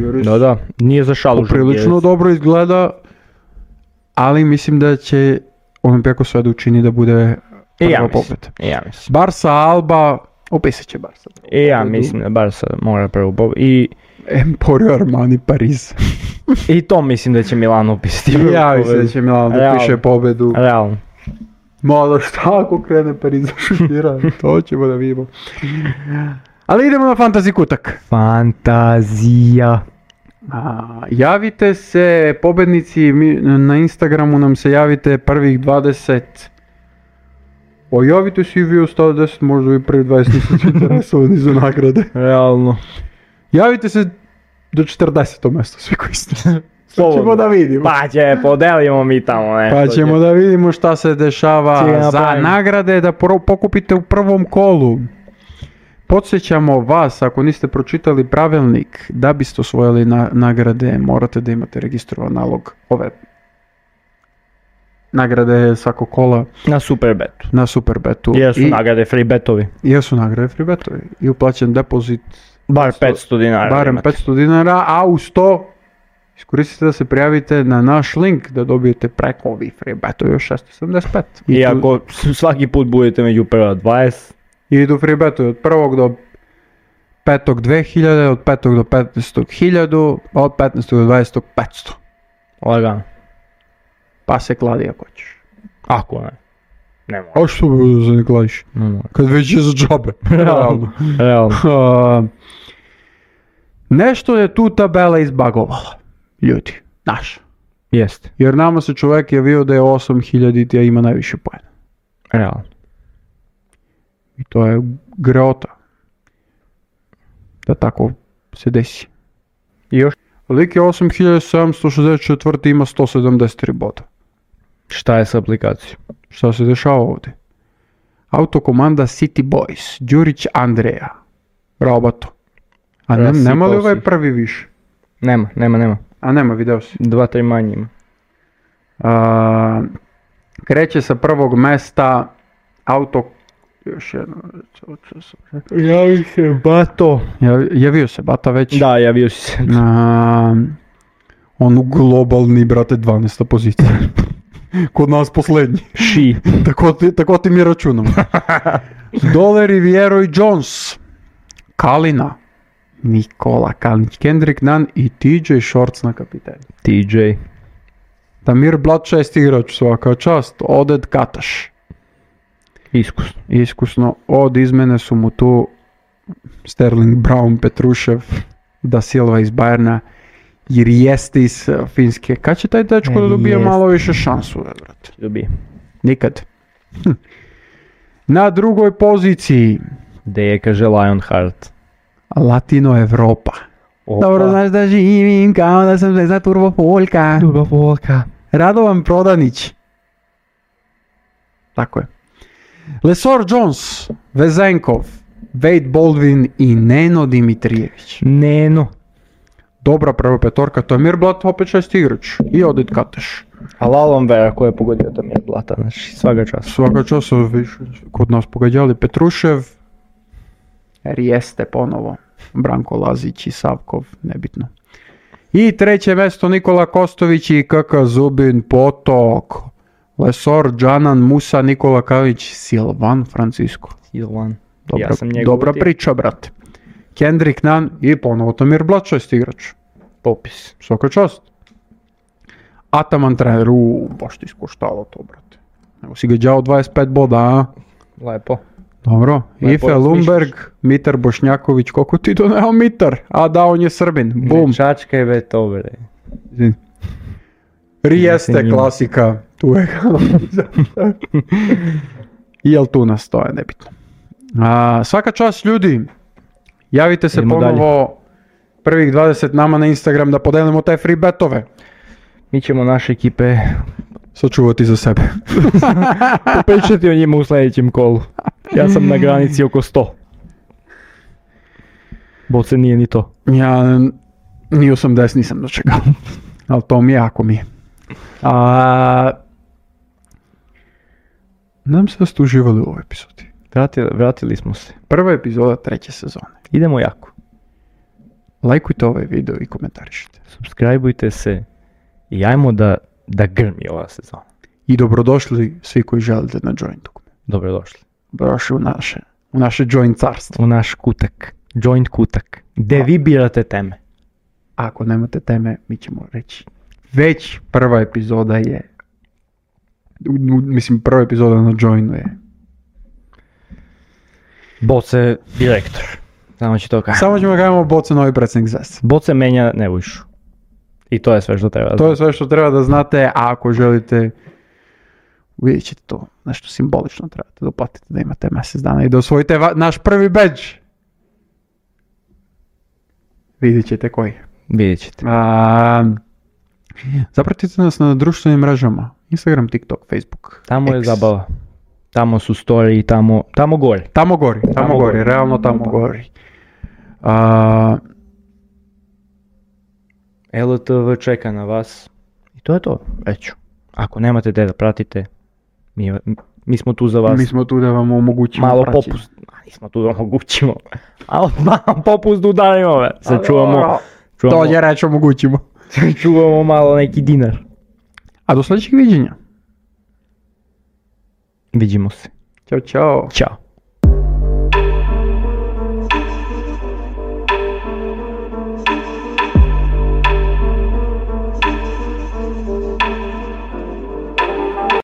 Nije za šalu Žalgiris. Prilično dobro izgleda. Ali mislim da će Olympiakos sve da učini da bude prva pobjeda. Ja mislim. Barca Alba. Opisat će Barca. Ja mislim da Barca mora prvu pobjedu. I Emporio Armani Pariz. I to mislim da će Milano upisati. Ja mislim da će Milano da piše pobjedu. Realno. Malo šta ako krene Pariz da šutira, to ćemo da vidimo. Ali idemo na fantasy kutak. Fantazija. Javite se, pobednici, na Instagramu nam se javite prvih 20. Javite se i vi ostalo 10, možda i prvi 20 nisu interesovani za nagrade. Realno. Javite se do 40. mjesto, svi koji ste. ćemo da vidimo. Pa podelimo mi tamo nešto. Pa ćemo da vidimo šta se dešava za nagrade da pokupite u prvom kolu. Podsjećamo vas, ako niste pročitali pravilnik, da biste osvojili nagrade, morate da imate registrovan nalog ove nagrade svakog kola. Na Superbetu. Jesu nagrade free betovi. I uplaćen depozit. Bar 500 dinara. Barem 500 dinara, a uz to iskoristite da se prijavite na naš link da dobijete preko ovih free betovi još 675. I ako svaki put budete među prva 20. I idu free betovi od 1. do 5. 2000, od 5. do 15. 1000, od 15. do 20. 500. Lagano. Pa se kladi ako ćeš. Ako ne. Ne mora. A što bi da se ne kladiš? Kad već je za džabe. Realno. Nešto je tu tabela izbagovala. Ljudi, naša. Jeste. Jer nama se čovjek javio da je 8000 a ima najviše pojena. Realno. I to je greota. Da tako se desi. I još? Lik je 8764 ima 173 boda. Šta je s aplikacijom? Šta se dešava ovdje? Autokomanda City Boys, Đurić Andreja, Roboto. A nema li ovaj prvi više? Nema. A nema, video si. 2-3 manje ima. Kreće sa prvog mesta još jedno. Javio se Bato. Javio se Bata već. Da, javio si se. On globalni, brate, 12. pozicija. Kod nas posljednji. Tako ti mi računamo. Dole Riviero i Jones. Kalina. Nikola Kalinić, Kendrick Nunn i TJ Shorts na kapitenu. TJ. Damir Blat 6 igrač, svaka čast. Oded Kataš. Iskusno. Od izmene su mu tu Sterling Brown, Petrušev, Da Silva iz Bayerna, jer jeste iz Finske. Kad će taj dečko da dobije malo više šansu? Dobije. Nikad. Na drugoj poziciji. Gde je, kaže Lionheart. Latino Evropa. Opa. Dobro znaš da živim kao da sam za Turbo Folka. Radovan Prodanić. Tako je. Lesor Jones, Vezenkov, Wade Baldwin i Neno Dimitrijević. Neno. Dobra prva petorka, to je Mirblat, opet 6 igrač. I Odit Kateš. A Lalom Vera ko je pogodio to Mirblata, znači svaka čast. Svaka čast, kod nas pogađali Petrušev, Rijeste ponovo, Branko Lazić i Savkov, nebitno. I treće mjesto Nikola Kostović i Kaka Zubin Potok. Lesor, Džanan, Musa, Nikola Kavić, Silvan Francisco. Silvan. Dobra priča, brate. Kendrick Nunn i ponovo Tamir Blat, 6 igrač. Popis. Svaka čast. Ataman trener, baš ti iskuštalo to, brate. Evo si ga đao 25 boda, a? Lepo. Dobro. Ife Lumberg, Mitar Bošnjaković, koliko ti doneo Mitar? A da, on je Srbin. Bum. Čačkaj ve to, bre. Rijeste klasika. Tu je I jel tu nas, to je nebitno. Svaka čast ljudi, javite se ponovo prvih 20 nama na Instagram da podelimo te free betove. Mi ćemo naše ekipe sačuvati za sebe. Popričati o njima u sljedećem kolu. Ja sam na granici oko 100. Boce nije ni to. Ja ni 80 nisam dočekao. Ali to mi je, ako mi je. Nadam se da ste uživali u ovoj epizodi. Vratili smo se. Prva epizoda 3. sezone. Idemo jako. Lajkujte ovaj video i komentarišite. Subscribeujte se i ajmo da grmi ova sezona. I dobrodošli svi koji želite na Joint dugme. Dobrodošli. Dobrodošli u naše Joint carstvo. U naš kutak. Joint kutak. Gde vi birate teme. Ako nemate teme, mi ćemo reći. Već prva epizoda je, prva epizoda na Joinu je Boce direktor. Samo ću to kažem. Samo ćemo kažemo Boce novi predsjednik Zvezde. Boce menja Nebojšu. I to je sve što treba da znate. To je sve što treba da znate, a ako želite, vidjet ćete to, nešto simbolično trebate da uplatite da imate mjesec dana i da osvojite naš prvi badge. Vidjet ćete koji. Vidjet ćete. Zapratite nas na društvenim mrežama. Instagram, TikTok, Facebook. Tamo je X. zabava. Tamo su story, tamo gori. Tamo gori, realno tamo gori. LTV čeka na vas. I to je to, reću. Ako nemate gdje da pratite, mi smo tu za vas. Mi smo tu da vam omogućimo malo praćenje. popust. Nismo tu da omogućimo. Malo popust udarimo. Sačuvamo. Dolje reći omogućimo. Čuvamo malo neki dinar. A do sljedećeg viđenja. Vidimo se. Ćao, čao. Ćao.